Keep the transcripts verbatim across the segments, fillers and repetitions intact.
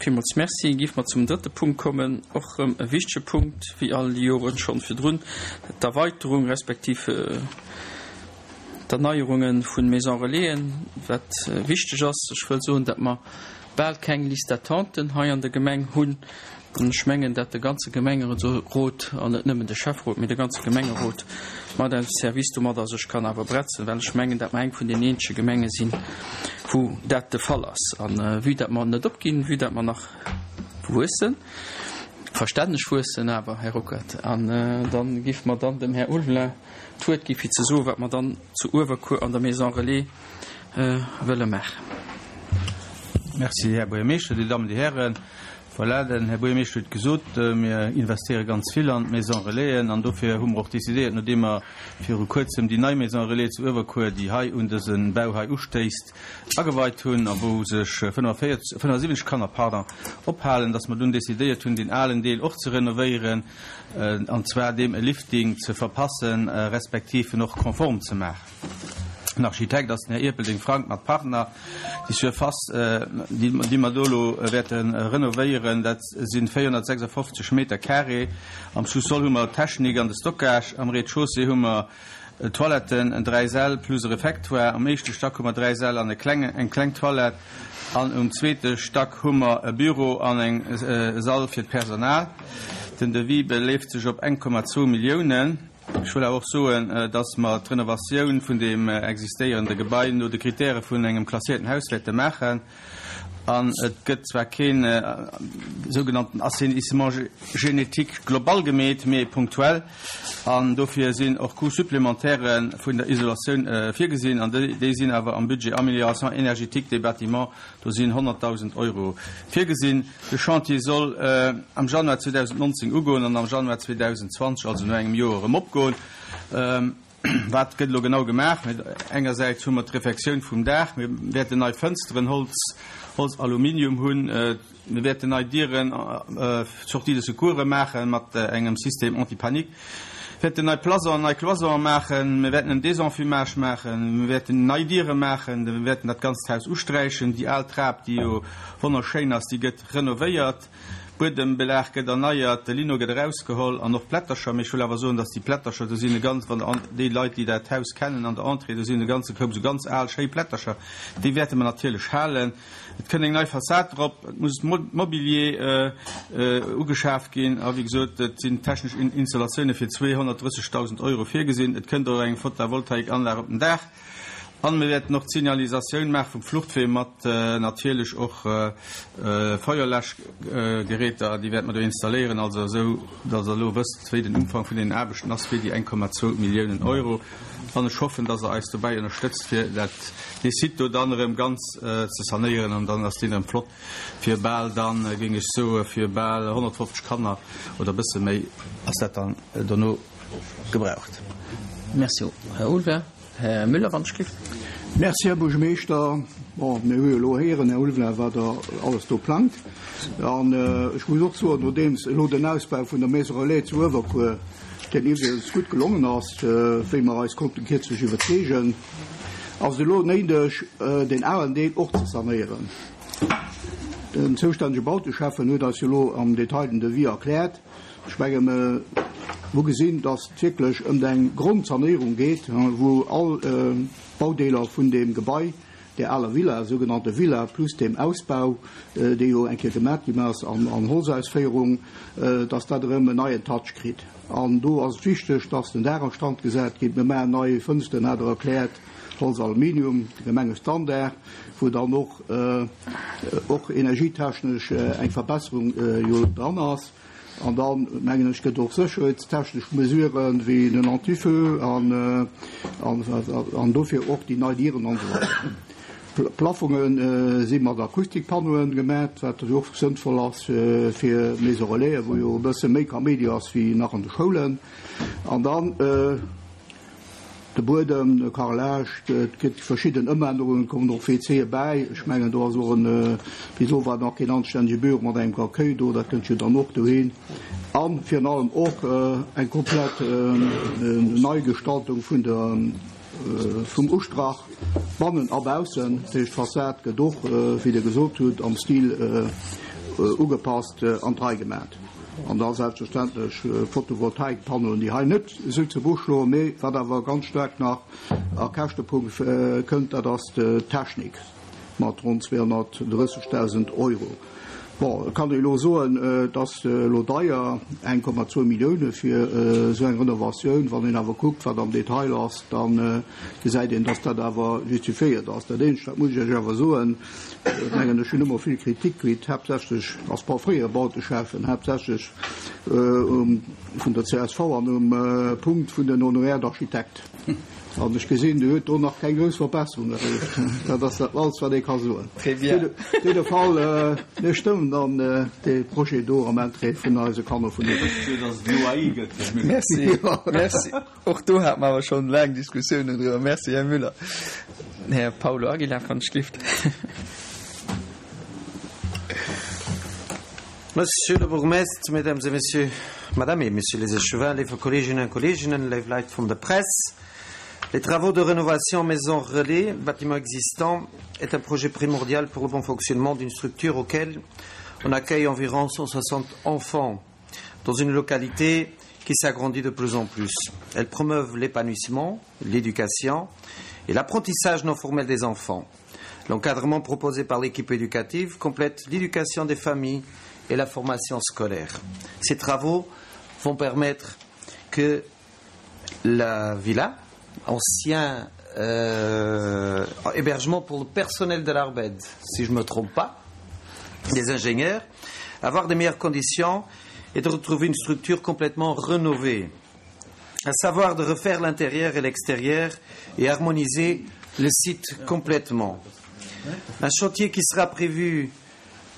Villmools Merci. Géife mer zum drëtte Punkt kommen, och erëm e wichtege Punkt, wéi all déi Joren schonn virdrun, d'Erweiterung respektiv d'Erneierunge vu Maison Relaisen, wat wichteg ass. Ech wëll soen, datt mer bal keng Liste d'attenten hei an der Gemeng hunn. An ech mengen, datt de ganze Gemengerot, an net nëmmen de Schäfferot, mee de ganze Gemengerot mat eisem Service domadder sech kann awer bretzen, well ech mengen, datt mer eng vun den eenzege Gemenge sinn, wou dat de Fall ass. A vue datt mer net opginn, vue datt mer nach wuessen, verstänneg wuessen awer, Här Ruckert, an da géife mer dann dem Här Ulveling d'Wuert gi fir ze soen, wat mer dann zu Uewerkuer an der Maison Relais wëlle maachen. Merci, Här Buergermeeschter, Dir Dammen, Dir Hären. Voilà, den Här Buergermeeschter huet gesot, mir investéiere ganz vill an d'Maison Relaisen an dofir hu mer och decidéiert, nodeem mer viru Kuerzem déi nei Maison Relais zu Uewerkuer, déi hei un dëse Bau hei ustéisst, ageweit hunn a wou sech fënnefenfënnefundsiwwenzeg Kanner, pardon, ophalen, dass mer dunn decidéiert hunn, deen alen Deel och ze renovéieren, an zwar deem e Lifting ze verpassen, respektiv en och konform ze maachen. Den Architekt ass den Här Ierpeldeng Frank mat Partner. Déi Surface, déi mer do elo wäerte renovéieren, dat si véierhonnertsechsundfofzeg Meter carré. Am Sous-sol hu mer d'Technik an de Stockage. Am Rez-de-chaussée hu mer Toiletten, dräi Säll plus e Refectoire. Am éischte Stack hu mer dräi Säll an e klenge, eng kleng Toilette. An um zweete Stack hu mer e Büro an eng Sall fir d'Personal. Den Devis beleeft sech op eng Komma zwou Milliounen. Ech wëll awer och soen, dass mer d'Renovatioun vun deem existéierende Gebai no de Kritäre vun engem klasséierten Haus wäerte maachen. An et gëtt zwar keen sougenannten Assainissement génétique global gemeet, mee punktuell. An dofir sinn och Coûts supplémentaires vun der Isolatioun virgesinn. An déi sinn awer am Budget Amélioration énergétique des bâtiments, do sinn honnertdausend Euro virgesinn. De Chantier soll am Januar zweedausendnonzéng ugoen an am Januar zweedausendzwanzeg, also no engem Joer, erëm opgoen. Wat gëtt elo genau gemaach? Engersäits hu mer d'Refektioun vum Daach. Mir wäerten nei Fënsteren, Holz, Holz, Aluminium hunn. Mir wäerten nei Dieren, Sortie de secours maache mat engem Système anti-panique. Mir wäerten nei Plasonen, nei Cloisonen maachen. Mir wäerten en Désenfumage maachen. Mir wäerten nei Diere maachen. Mir wäerten dat ganzt Haus usträichen. Déi al Trap, déi jo wonnerschéin ass, déi gëtt renovéiert. Buedembelag gëtt erneiert, de Lino gëtt erausgeholl an och d'Plättercher. Mee ech wëll awer soen, dass déi Plättercher, do sinn e ganz, wann der déi Leit, déi dat Haus kennen, an der Entrée, do sinn e ganze Koup esou ganz al, schéi Plättercher, déi wäerte mer natierlech halen. Et kënn eng nei Fassad drop, et muss Mobilier ugeschaaft ginn a wéi gesot, et sinn technesch Installatioune fir zweehonnertdrëssegdausend Euro virgesinn. Et kënnt och eng Photovoltaikanlag op den Daach. An mir wäerten och d'Signalisatioun maache vum Fluchtwee mat natierlech och Feuerläschgeräter, déi wäerte mer do installéieren, also esou, datt Der elo wësst, wéi den Umfang vun deenen Aarbechten ass fir déi eng Komma zwou Milliounen Euro. An ech hoffen, datt Der eis dobäi ënnerstëtzt, fir dat, dee Site do dann erëm ganz ze sanéieren an dann ass deen erëm flott fir bal dann, géing ech soe, fir bal honnertfofzeg Kanner oder e bësse méi ass dat dann dono gebraucht. Merci, Här Ulveling. Här Müller, wann ech giff. Merci, Här Buergermeeschter. Bon, mir hu jo elo héieren, Här Ulveling, wat Der alles do plangt. An ech muss och soen, nodeems elo den Ausbau vun der Maison Relais zu Uewerkuer, deen iwwregens gutt gelongen ass, wéi mer eis konnten kierzlech iwwerzeegen, ass et elo néideg, deen alen Deel och ze sanéieren. Den zoustännege Bauteschäffen huet eis jo elo am Detail den Devis erkläert. Ech menge mer hu gesinn, datt et wierklech ëm eng Grondsanéierung geet, wou all Baudeeler vun deem Gebai, där aler Villa, sougenannte Villa, plus deem Ausbau, dee jo eng Kéier gemat ginn ass an Holzausféierung, datt dat erëm en neien Touch kritt. An do ass et wichteg, datt den Daach a Stand gesat gétt. Mir maachen nei Fënsteren, hat Der erkläert, Holz-Aluminium, de Gemengestandard, wou dann och och energietechnesch eng Verbesserung jo dran ass. An dann, mengen ech, gëtt och sécherheetstechnesch Mesuren, wéi den Anti-feu an an dofir och déi nei Dieren an esou weider. D'Plaffonge si mat Akustikpannoen gemat, wat jo och sënnvoll ass fir Maison Relaisen, wou jo e bësse méi Kaméidi ass wéi nach an de Schoulen. An dann de Buedem, de Carrelage, et gëtt verschidden Ëmännerungen, et kommen och W C bäi. Ech mengen, do ass och en, bis elo war nach keen anstännege Büro mat engem Accueil do, dat kënnt jo dann och dohin. A virun allem och eng komplett Neigestaltung vun der, vum Ustrach, bannen a baussen. Dat heescht, d'Fassad gëtt och, wéi Der gesot hutt, am Stil ugepasst an d'Rei gemat. An da selbstverständlech Photovoltaikpannoen, déi hei net esou zu Buch schloen, mee wat awer ganz staark nach a Käschtepunkt kënnt, dat ass d'Technik mat ronn zweehonnertdrëssegdausend Euro. Bon, et kann ee elo soen, et ass elo deier, eng Komma zwou Millioune fir esou eng Renovatioun. Wann een awer kuckt, wat am Detail ass, da gesäit een, dass dat awer justifiéiert ass. Dat eenzegt, dat muss ech Iech awer soen, ech mengen, ech hunn ëmmer vill Kritik kritt, haaptsächlech als fréiere Bauteschäffen, haaptsächlech vun der C S V an um Punkt vun den Honoraires d'architecte. An ech gesinn, Dir huet do nach keng grouss Verbesserung erreecht. Dat ass dat alles, wat ee ka soen. Très bien. Op jidde Fall, mir stëmmen dann dee Projet do am Interêt vun eise Kanner vun Uewerkuer. Merci. Merci. Och do hate mer awer schonn laang Diskussiounen driwwer. Merci, Här Müller. Här Paulo Aguilar van Schlift. Monsieur le bourgmestre, Mesdames et Messieurs, Madame et Messieurs les échevins, léif Kolleeginnen a Kolleegen, léif Leit vun der Press, les travaux de rénovation Maison Relais, bâtiment existant, est un projet primordial pour le bon fonctionnement d'une structure auquel on accueille environ cent soixante enfants dans une localité qui s'agrandit de plus en plus. Elle promeut l'épanouissement, l'éducation et l'apprentissage non formel des enfants. L'encadrement proposé par l'équipe éducative complète l'éducation des familles et la formation scolaire. Ces travaux vont permettre que la villa, ancien euh, hébergement pour le personnel de l'Arbed, si je ne me trompe pas, des ingénieurs, avoir des meilleures conditions et de retrouver une structure complètement rénovée, à savoir de refaire l'intérieur et l'extérieur et harmoniser le site complètement. Un chantier qui sera prévu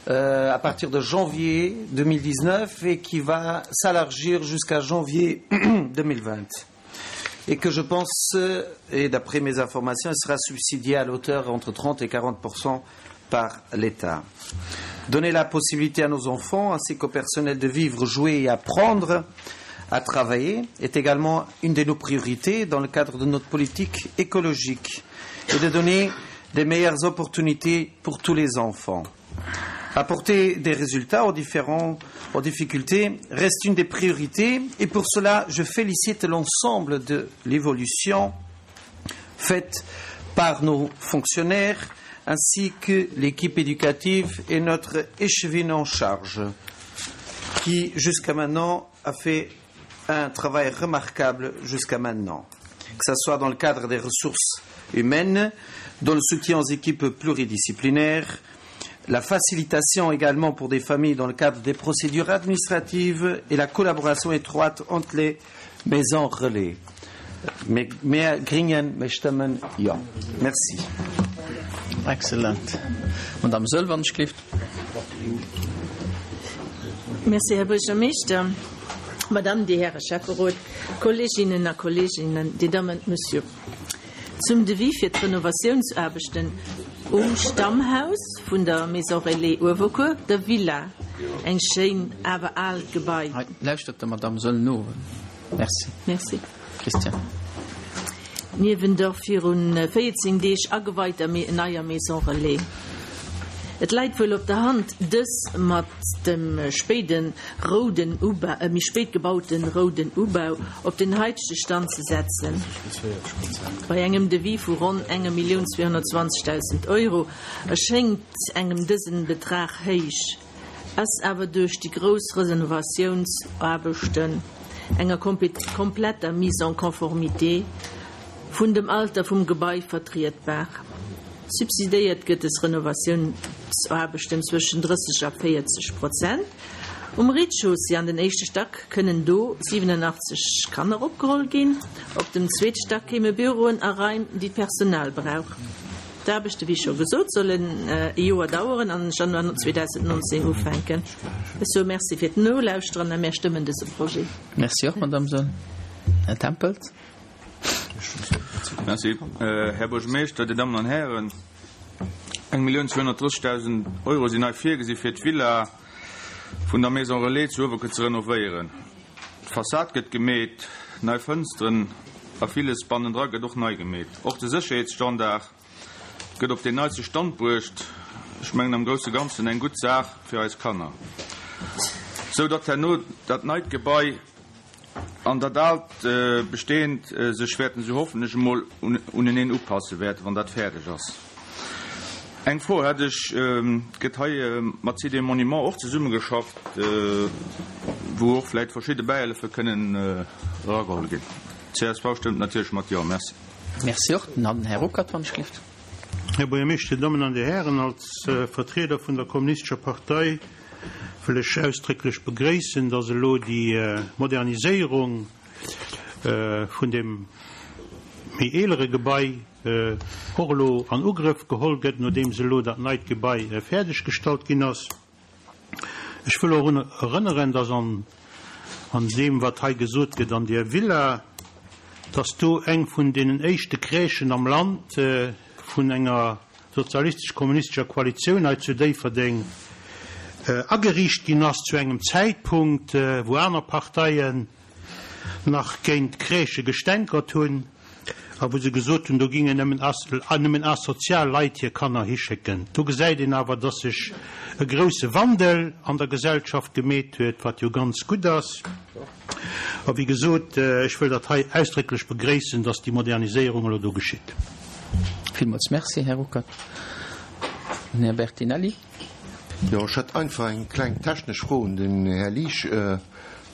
euh, à partir de janvier deux mille dix-neuf et qui va s'élargir jusqu'à janvier deux mille vingt et que je pense, et d'après mes informations, il sera subsidié à l'auteur entre trente et quarante par l'État. Donner la possibilité à nos enfants ainsi qu'au personnel de vivre, jouer et apprendre à travailler est également une de nos priorités dans le cadre de notre politique écologique et de donner des meilleures opportunités pour tous les enfants. Apporter des résultats aux différents aux difficultés reste une des priorités et pour cela je félicite l'ensemble de l'évolution faite par nos fonctionnaires ainsi que l'équipe éducative et notre échevine en charge qui jusqu'à maintenant a fait un travail remarquable jusqu'à maintenant, que ce soit dans le cadre des ressources humaines, dans le soutien aux équipes pluridisciplinaires, la facilitation également pour des familles dans le cadre des procédures administratives et la collaboration étroite entre les maisons relais. Mir Gringen, mir stëmmen jo. Merci. Excellent. Madame Söll, wann ech gelift. Merci, Här Buergermeeschter, Madame, Dir Häre Schäfferot, Kolleeginnen a Kolleegen, Dir Dammen, Monsieur. Zum Devis fir d'Renovatiounsaarbechten um Stammhaus vun der Maison Relais Uewerkuer, der Villa, eng schéin awer aalt Gebai. Hei, lauschtert der Madame Söll no. Merci. Merci. Christian. Niewent der virun véierzéng Deeg ageweiter neier Maison Relais. Et läit wuel op der Hand, dës mat dem spéiden rouden Ubau, äh, méi spéit gebauten rouden Ubau op den haitege Stand ze setzen. Bei engem Devis vu ronn enger Millioun zweehonnertzwanzegdausend Euro erschéngt engem dësen Betrag héich, ass awer duerch déi grouss Renovatiounsaarbechten, enger kompletter Mise en conformité vun dem Alter vum Gebai vertrietbar. Subsidéiert gëtt des Renovatiounsaarbechten zwëschen drësseg a véierzeg Prozent. Um Rez-de-chaussée an den éischte Stack kënnen do siwenanachtzeg Kanner opgeholl ginn. Op dem zweete Stack kéime Büroen a Raim, déi d'Personal brauch. D'Aarbechte, wéi scho gesot, sollen e Joer daueren an Januar zweedausendnonzéng ufänken. Ech soe Merci fir d'Nolauschteren a mir stëmmen dëse Projet. Merci och, Madame Söll. Här Tempels. Merci. Här Buergermeeschter, Dir Dammen an Hären, eng Millioun zweehonnertdrëssegdausend Euro sinn hei virgesi fir d'Villa vun der Maison Relais zu Uewerkuer ze renovéieren. D'Fassad gëtt gemeet, nei Fënsteren a villes bannendra gëtt och nei gemeet. Och de Sécherheetsstandard gëtt op den neiste Stand bruecht. Ech mengen am grousse Ganzen eng gutt Saach fir eis Kanner. Sou datt herno dat neit Gebai an dat aalt bestehend sech wäerten, sou hoffen ech emol, uneneen upasse wäerten, wann dat fäerdeg ass. Eng Fro hätt ech, Gëtt hei mat Sites et Monuments och zesummegeschafft, wou och vläicht verschidde Bäihëllefe kënnen erageholl ginn? Csv stëmmt natierlech mat Jo. Merci. Merci och. Den Här Ruckert, wann ech gelift. Här Buergermeeschter, Dir Dammen an Dir Hären, als Vertrieder vun der Kommunistescher Partei wëll ech ausdrécklech begréissen, dass elo déi Moderniséierung vun deem méi eelere Gebai och elo an Ugrëff geholl gëtt, nodeems elo dat neit Gebai fäerdeggestallt ginn ass. Ech wëll och erënneren, dass an an deem, wat hei gesot gëtt, an där Villa, dass do eng vun deenen éischte Crèchen am Land vun enger sozialistesch-kommunistescher Koalitioun hei zu Déifferdeng ageriicht ginn ass, zu engem Zäitpunkt, wou aner Parteien nach géint Crèchë gestänkert hunn a wou se gesot hunn, do gingen nëmmen nëmmen asozial Leit hir Kanner hischécken. Do gesäit een awer, dass sech e grousse Wandel an der Gesellschaft gemeet huet, wat jo ganz gutt ass. A wéi gesot, ech wëll dat hei ausdrécklech begréissen, dass déi Moderniséierung elo do geschitt. Villmools Merci, Här Ruckert. Den Här Bertinelli. Jo, ech hätt einfach eng kleng technesch Fro un den Här Liesch,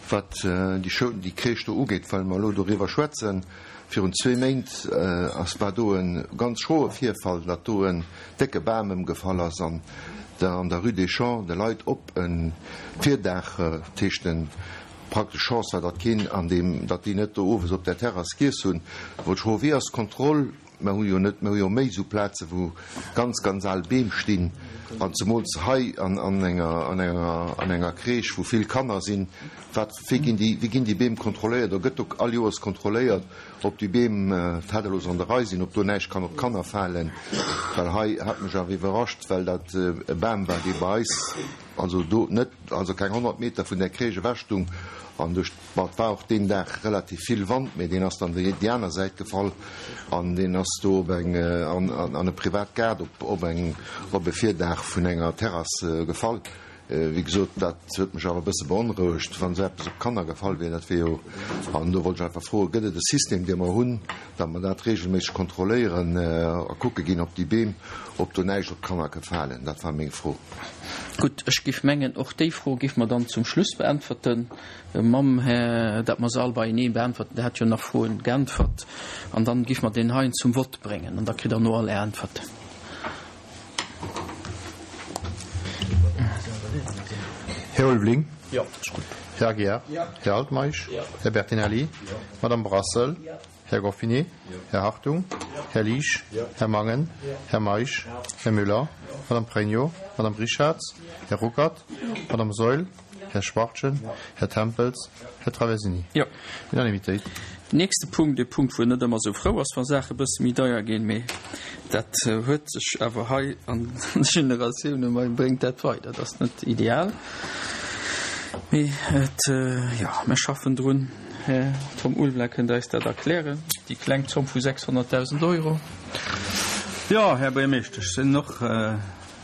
wat déi Schoul, déi Crèche do ugeet, well mer elo doriwwer schwätzen. Virun zwee Méint ass, war do e ganz schroe Virfall, datt do en décke Bam ëmgefall ass an der, an der Rue des Champs, de Leit op e Virdaach, dat heescht en praktesch Chance war, datt keen an deem, datt déi net do owes op der Terrass giess hunn. Wollt ech froen, wéi ass d'Kontroll? Mer hu jo net, mer hu jo méi esou Plaze wou ganz, ganz al Beem stinn, an zemools hei an, an enger, an enger, an enger Crèche, wou vill Kanner sinn. Wat, wéi ginn déi, wéi ginn déi Beem kontrolléiert? Oder gëtt do all Joers kontrolléiert, ob déi Beem tadellos an der Rei sinn, ob do näischt kann op d'Kanner falen? Well hei hat mech awer iwwerrascht, well dat e Bam war, dee bei eis, also do net, also keng honnert Meter vun där Crèche ewech stung, an duerch, bon, et war och deen Dag relativ vill Wand, mee deen ass dann déi déi aner Säit gefall an deen ass do op eng, an, an e privat Gaart op, op eng, op e Virdaach vun enger Terrass gefall. Wéi gesot, dat huet mech awer e bësse beonrouegt, wann esou eppes op Kanner gefall wier, dat wier jo, an do wollt ech einfach froen, gëtt et e System, dee mer hunn, datt mer dat regelméisseg kontrolléieren a kucke ginn, ob déi Beem, ob do näischt op d'Kanner ka falen? Dat war meng Fro. Gutt, ech giff mengen, och déi Fro giff mer dann zum Schluss beäntwerten, mam Här, dat mer se all beienee beäntwerten, Der hat jo nach Froen geäntwert, an dann giff mer deen heien zum Vott bréngen an da kritt Der no all Är Äntwerten. Här Ulveling. Jo, ass gutt. Här Aguiar. Här Altmeisch. Här Bertinelli. Madame Brassel. Här Goffinet. Här Hartung. Här Liesch. Här Mangen. Här Meisch. Här Müller. Madame Pregno. Madame Richarz. Här Ruckert. Madame Saeul. Här Schwachtgen. Här Tempels. Här Traversini. Jo. Unanimitéit. Nächste Punkt, e Punkt, wou een net ëmmer esou frou ass, wa Saache e bësse méi deier ginn, mee dat huet sech awer hei an de Generatioune mei bréngt dat weider. Dat ass net ideal, mee et, jo, mir schaffen drun. Här Tom Ulveling, kënnt Der eis dat erklären, déi kleng Zomm vu sechshonnertdausend Euro? Jo, Här Buergermeeschter, ech sinn och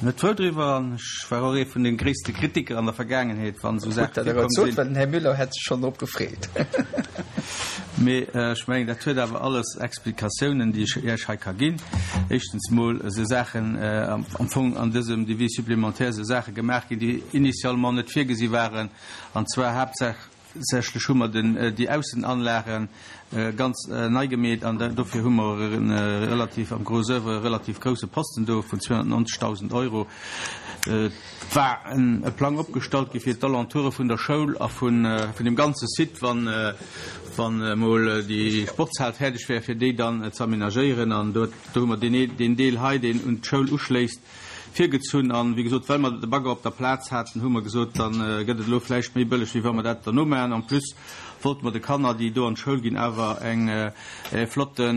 net frou driwwer an ech war och ee vun de gréisste Kritiker an der Vergaangenheet, wann esou Saache virkomm sinn. Well den Här Müller hätt sech schonn drop gefreet. Mee ech mengen, dat huet awer alles Explikatiounen, déi ech Iech hei ka ginn. Éischtens mol si Saachen am Fong an dësem Devis supplémentaire si Saache gemaach ginn, déi initialement net virgesi waren, an zwar haaptsächlech hu mer den, déi Aussenanlage ganz nei gemeet an dofir hu mer e relativ, am Gros oeuvre, e relativ grousse Posten do vun zweehonnertneunzegdausend Euro. Et war e Plang opgestallt gi fir d'Alentoure vun der Schoul a vun deem ganze Site, wann, wann emol déi Sportshal fäerdeg wär, fir déi dann ze aménagéieren. An do, do hu mer deen, deen Deel hei, deen un d'Schoul uschléisst, virgezunn. An, wéi gesot, well mer de Bagger op der Plaz haten, hu mer gesot, da gëtt et elo vläicht méi bëlleg, wéi wa mer dat derno maachen. En plus wollte mer de Kanner, déi do an d'Schoul ginn, awer eng e flotte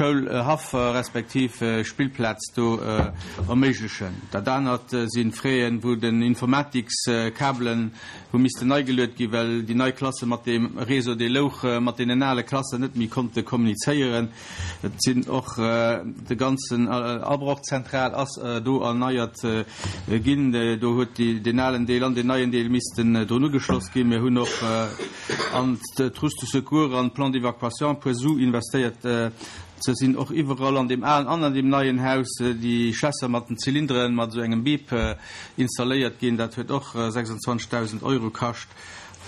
Schoulhaff respektiv Spillplaz do erméiglechen. Dat anert si Fräen, wou den Informatikskabelen hu missten nei geluet ginn, well déi nei Klasse mat deem Réseau, dee louch, mat deenen ale Klassen net méi konnte kommunizéieren. Et sinn och de ganzen Abrochzentral ass do erneiert ginn. Do huet deen alen Deel an deen neien Deel missten drun ugeschloss ginn. Mir hunn och an d'Trousse de secours an d'Plan d'évacuation e puer Su investéiert. Se sinn och iwwerall an deem alen an an deem neien Haus déi Schlässer mat den Zylinderen mat esou engem Bip installéiert ginn. Dat huet och sechsundzwanzegdausend Euro kascht.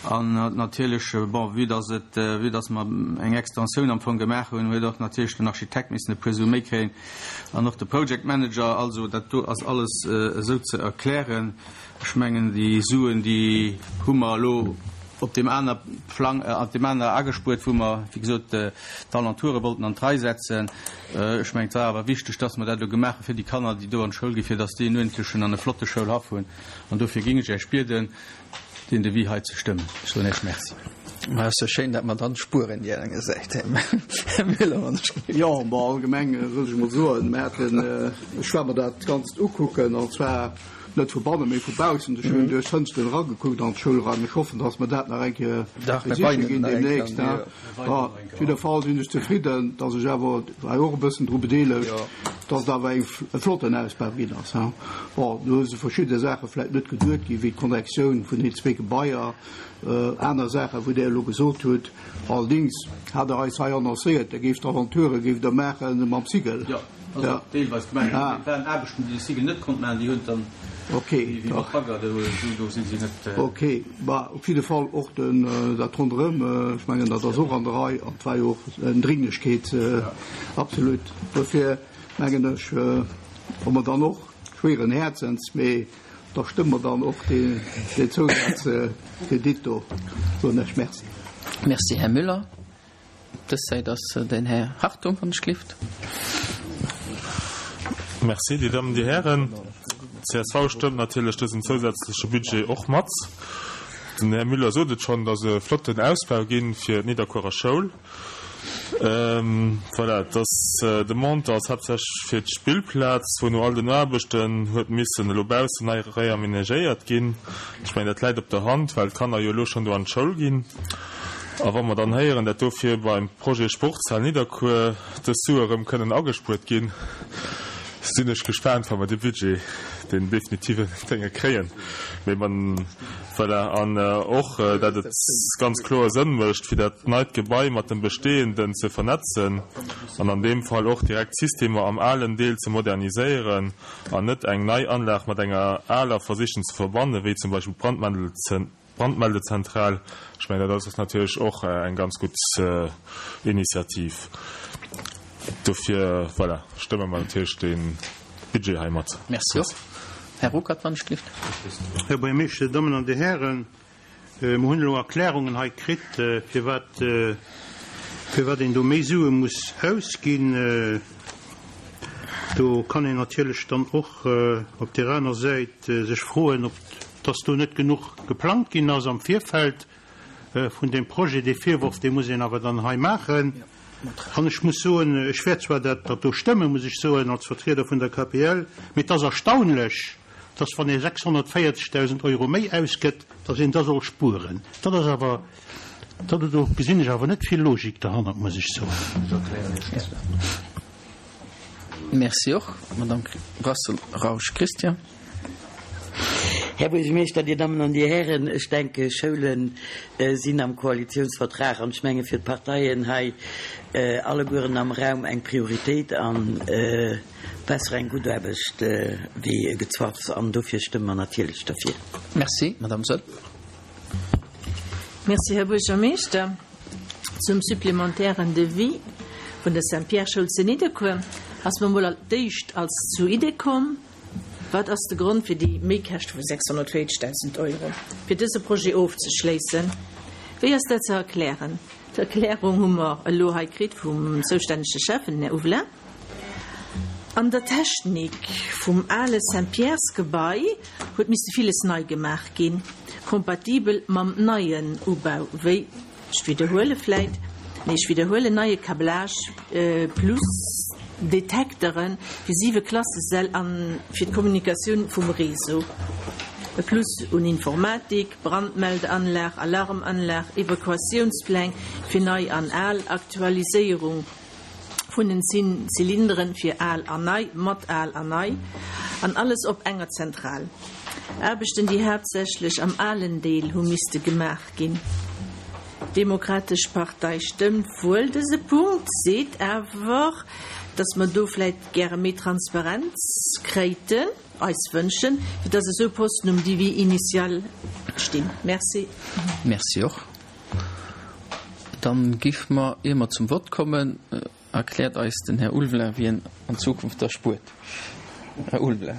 An natierlech, bon, vue dass et, vue dass mer eng Extensioun am Fong gemaach hunn, huet och natierlech den Architekt missen e puer Sue méi kréien an och de Project Manager. Also dat do ass alles esou ze erklären. Ech mengen, déi Suen, déi hu mer elo op deem aner Plang, op deem aner agespuert, wou mer, wéi gesot, d'Alentoure wollten an d'Rei setzen. Ech mengen, et war awer wichteg, dass mer dat elo gemaach hu fir déi Kanner, déi do an d'Schoul ginn, fir dass déi en uerdentlechen an e flotte Schoulhaff hunn. An dofir géing ech Iech bieden, deen Devis hei ze stëmmen. Ech soen Iech Merci. Ma ass jo schéin, dat mer dann spueren déi enge Säit, Här Müller, wann ech. Jo, bon, allgemeng wëll ech emol soen, mer haten, ech war mer dat Ganzt ukucken, an zwar net vu bannen, mee vu baussen. Ech hunn duerch d'Fënsteren eragekuckt an d'Schoulraim. Ech hoffen, dass mer dat nach eng Kéier besiche ginn deemnächst. Op jidder Fall sinn ech zefridden, dass ech awer, war jo och e bëssen dru bedeelegt, dass et awer eng, e flotten Ausbau ginn ass. Bon, do si verschidde Saache vläicht net geduet ginn, wéi d'Connectioun vun den zwee Gebaier, aner Saachen, wou Der elo gesot hutt. Allerdéngs hat Der eis hei annoncéiert, Der géift Aventurë géift Der maache mam Sigel. Also ja. Deelweis gemengt. Ah. Et waren Aarbechten, déi de Sigel net konnt maachen, déi hunn dann okay. wéi mat Bagger, do, do sinn si net. Äh okay, bah, op jidde Fall och den, äh, dat ronderëm, äh, ech mengen, dat ass och an der Rei an et war jo och eng Dringlechkeet, äh, ja. Absolut. Dofir mengen ech, äh, hu mer dann och schwéieren Häerzens, mee da stëmme mer dann och deen, deen Zousazkredit do. Soen ech Merci. Merci, Här Müller. Dës Säit ass den Här Hartung, wann ech gelift. Merci, Dir Dammen, Dir Hären. D'C S V stëmmt natierlech dësen zousätzleche Budget och mat. Den Här Müller sot et schonn, et ass e flotten Ausbau ginn fir d'Nidderkuerer Schoul. Voilà, et ass, de Montant ass haaptsächlech fir d'Spillplaz, wou no all den Aarbechten huet missen elo baussen nei reamenagéiert ginn. Ech mengen, dat läit op der Hand, well d'Kanner jo elo schonn do an d'Schoul ginn. A wa mer dann héieren, dat dofir beim Projet Sportshal Nidderkuer dës Sue erëm kënnen agespuert ginn, sinn ech gespaant, wa mer de Budget, deen definitiven, dénge kréien. Mee man, voilà. An och, dat et ganz kloer Sënn mécht, fir dat neit Gebai mat dem bestehenden ze vernetzen an an deem Fall och direkt d'Systemer am alen Deel ze moderniséieren an net eng nei Anlag mat enger aler versichen ze verbannen, wéi zum Beispill d'Brandmeldezen. Brandmeldezentral, ech mengen, dat ass natierlech och eng ganz gutt Initiativ. Dofir, voilà, stëmme mer natierlech dee Budget hei mat. Merci och. Här Ruckert, wann ech gelift. Här Buergermeeschter, Dir Dammen an Dir Hären, mer hunn elo Erklärungen hei kritt, firwat, firwat een do méi Sue muss ausginn. Do kann een natierlech dann och op där aner Säit sech froen, ob dass do net genuch geplangt ginn ass am Virfeld vun deem Projet. Dee Virworf, dee muss een awer dann hei maachen. An ech muss soen, ech wäert zwar dat do stëmmen, muss ech soen, als Vertrieder vun der K P L, mee et ass erstaunlech, dass wann ee sechshonnertvéierzegdausend Euro méi ausgëtt, dass een da soll spueren. Dat ass awer, dat, do gesinn ech awer net vill Logik derhannert, muss ech soen. Merci och. Madame Brassel-Rausch Christian. Här Buergermeeschter, Dir Dammen an Dir Hären, ech denke Schoulen sinn am Koalitionsvertrag an ech menge fir d'Parteien hei allegueren am Raum eng Prioritéit an besser eng gutt Aarbecht wéi Gezwaffs an dofir stëmme mer natierlech derfir. Merci, Madame Soll. Merci, Här Buergermeeschter. Zum supplementären Devis vun der Saint-Pierre-Schoul zu Nidderkuer ass mer mol als d'éischt als zur Idee komm, Wat ass de Grond fir déi Méikäschte vu sechshonnertvéierzegdausend Euro, fir dëse Projet ofzeschléissen? Wéi ass dat ze erklären? D'Erklärung hu mer elo hei kritt vum zoustännege Schäffen, Här Huvelin. An der Technik vum ale Saint-Pierres-Gebai huet misse villes nei gemaach ginn, kompatibel mam neien Ubau, wéi, ech widderhuele vläit, nee, ech widderhuelen, neie Câblage plus Detektere fir siwe Klassesäll a fir d'Kommunikatioun vum Réseau. E Plus un Informatik, Brandmeldeanlag, Alarmanlag, Evakuatiounspläng fir nei an al, Aktualiséierung vun den Zylinderen fir al an nei, mat al an nei, an alles op enger Zentral. Aarbechten, déi haaptsächlech am alen Deel hu misste gemaach ginn. D'Demokratesch Partei stëmmt wuel dëse Punkt, seet awer, dass mer do vläit gäre méi Transparenz kréiten, eis wënschen, fir dass esou Posten um Devis initial stinn. Merci. Merci och. Dann giff mer, ier mer zum Vott kommen, erkläert eis den Här Ulveling, wien an Zukunft da spuert. Här Ulveling,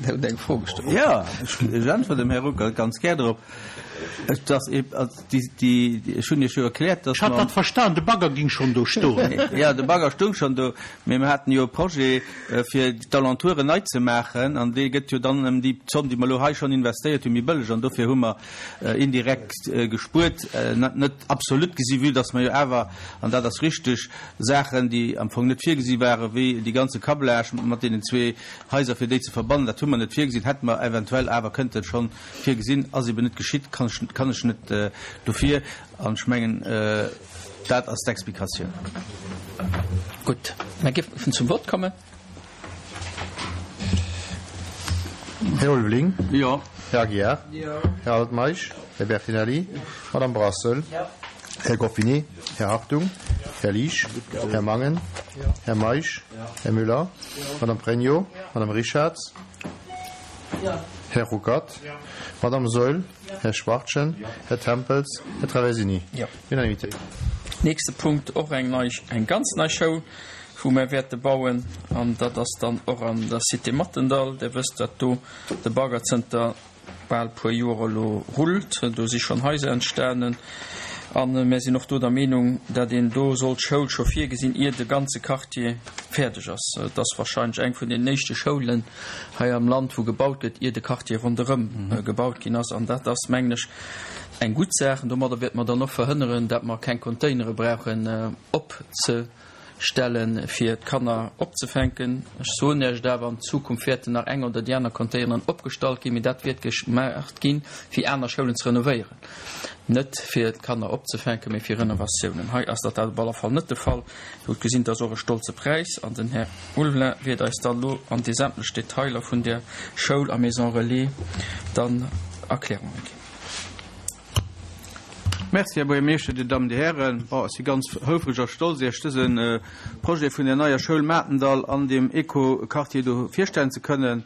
Der hutt eng Fro gestallt. Jo, ech äntweren dem Här Ruckert ganz gär drop. Et ass eeb, also déi, déi, ech hunn Iech jo erkläert, dass Ech hat mer. dat verstan, de Bagger ging schonn do stoen. Jo, de Bagger stoung schonn do, mee mir haten jo e Projet, fir d'Alentouren nei ze maachen, an dee gëtt jo dann ëm déi Zomm, déi mer elo hei schonn investéiert hunn, méi bëlleg. An dofir hu mer indirekt gespuert, net absolut gesi, vue dass mer jo awer, an dat ass richteg, Saachen, déi am Fong net virgesi waren, wéi dee ganze Câblage mat deenen zwee Haiser, fir déi ze verbannen, dat hu mer net virgesinn, hätte mer eventuell awer kënnten schonn virgesinn, ass eben net geschitt, kann ech, kann ech net dofir. An ech mengen, dat ass d'Explikatioun. Gutt, mer géifen zum Vott kommen. Här Ulveling. Jo. Här Aguiar. Jo. Här Altmeisch. Här Bertinelli. Madame Brassel. Jo. Här Goffinet. Här Hartung. Här Liesch. Här Mangen. Här Meisch. Här Müller. Madame Pregno. Madame Richarz. Här Ruckert. Madame Saeul. Här Schwachtgen. Här Tempels. Här Traversini. Unanimité. Nächste Punkt, och eng nei, eng ganz nei Schoul, wou mer wäerte bauen, an dat ass dann och an der Cité Mathendahl. Dir wësst, datt do de Bagger zënter bal puer Joer elo rullt. Do si schonn Haiser entstanen. A mir sinn och do der Meenung, datt een do sollt d'Schoul scho virgesinn, ier de ganze Quartier fäerdeg ass. Et ass wahrscheinlech eng vun den éischte Schoulen hei am Land, wou gebaut gëtt, ier de Quartier ronderëm gebaut ginn ass. An dat ass, mengen ech, eng gutt Saach. An domadder wäerte mer dann och verhënneren, datt mer keng Containere brauchen opzestellen, fir d'Kanner opzefänken. Ech soen Iech et awer, an Zukunft wäerten nach eng oder déi aner Containeren opgestallt ginn, mee dat wäert gemaach ginn, fir aner Schoulen ze renovéieren. Net fir d'Kanner opzefänken, mee fir Renovatiounen. Hei ass dat op alle Fall net de Fall. Dir hutt gesinn, et ass och e stolze Präis. An den Här Ulveling wäert eis dann elo an déi sämtlech Detailer vun där Schoul a Maison Relais dann Erklärunge ginn. Merci, Här Buergermeeschter, Dir Dammen, Dir Hären. Bon, ech si ganz houfreg a stolz, Iech dëse Projet vun der neier Schoul Matendall an deem Eco-Quartier do virstellen ze kënnen.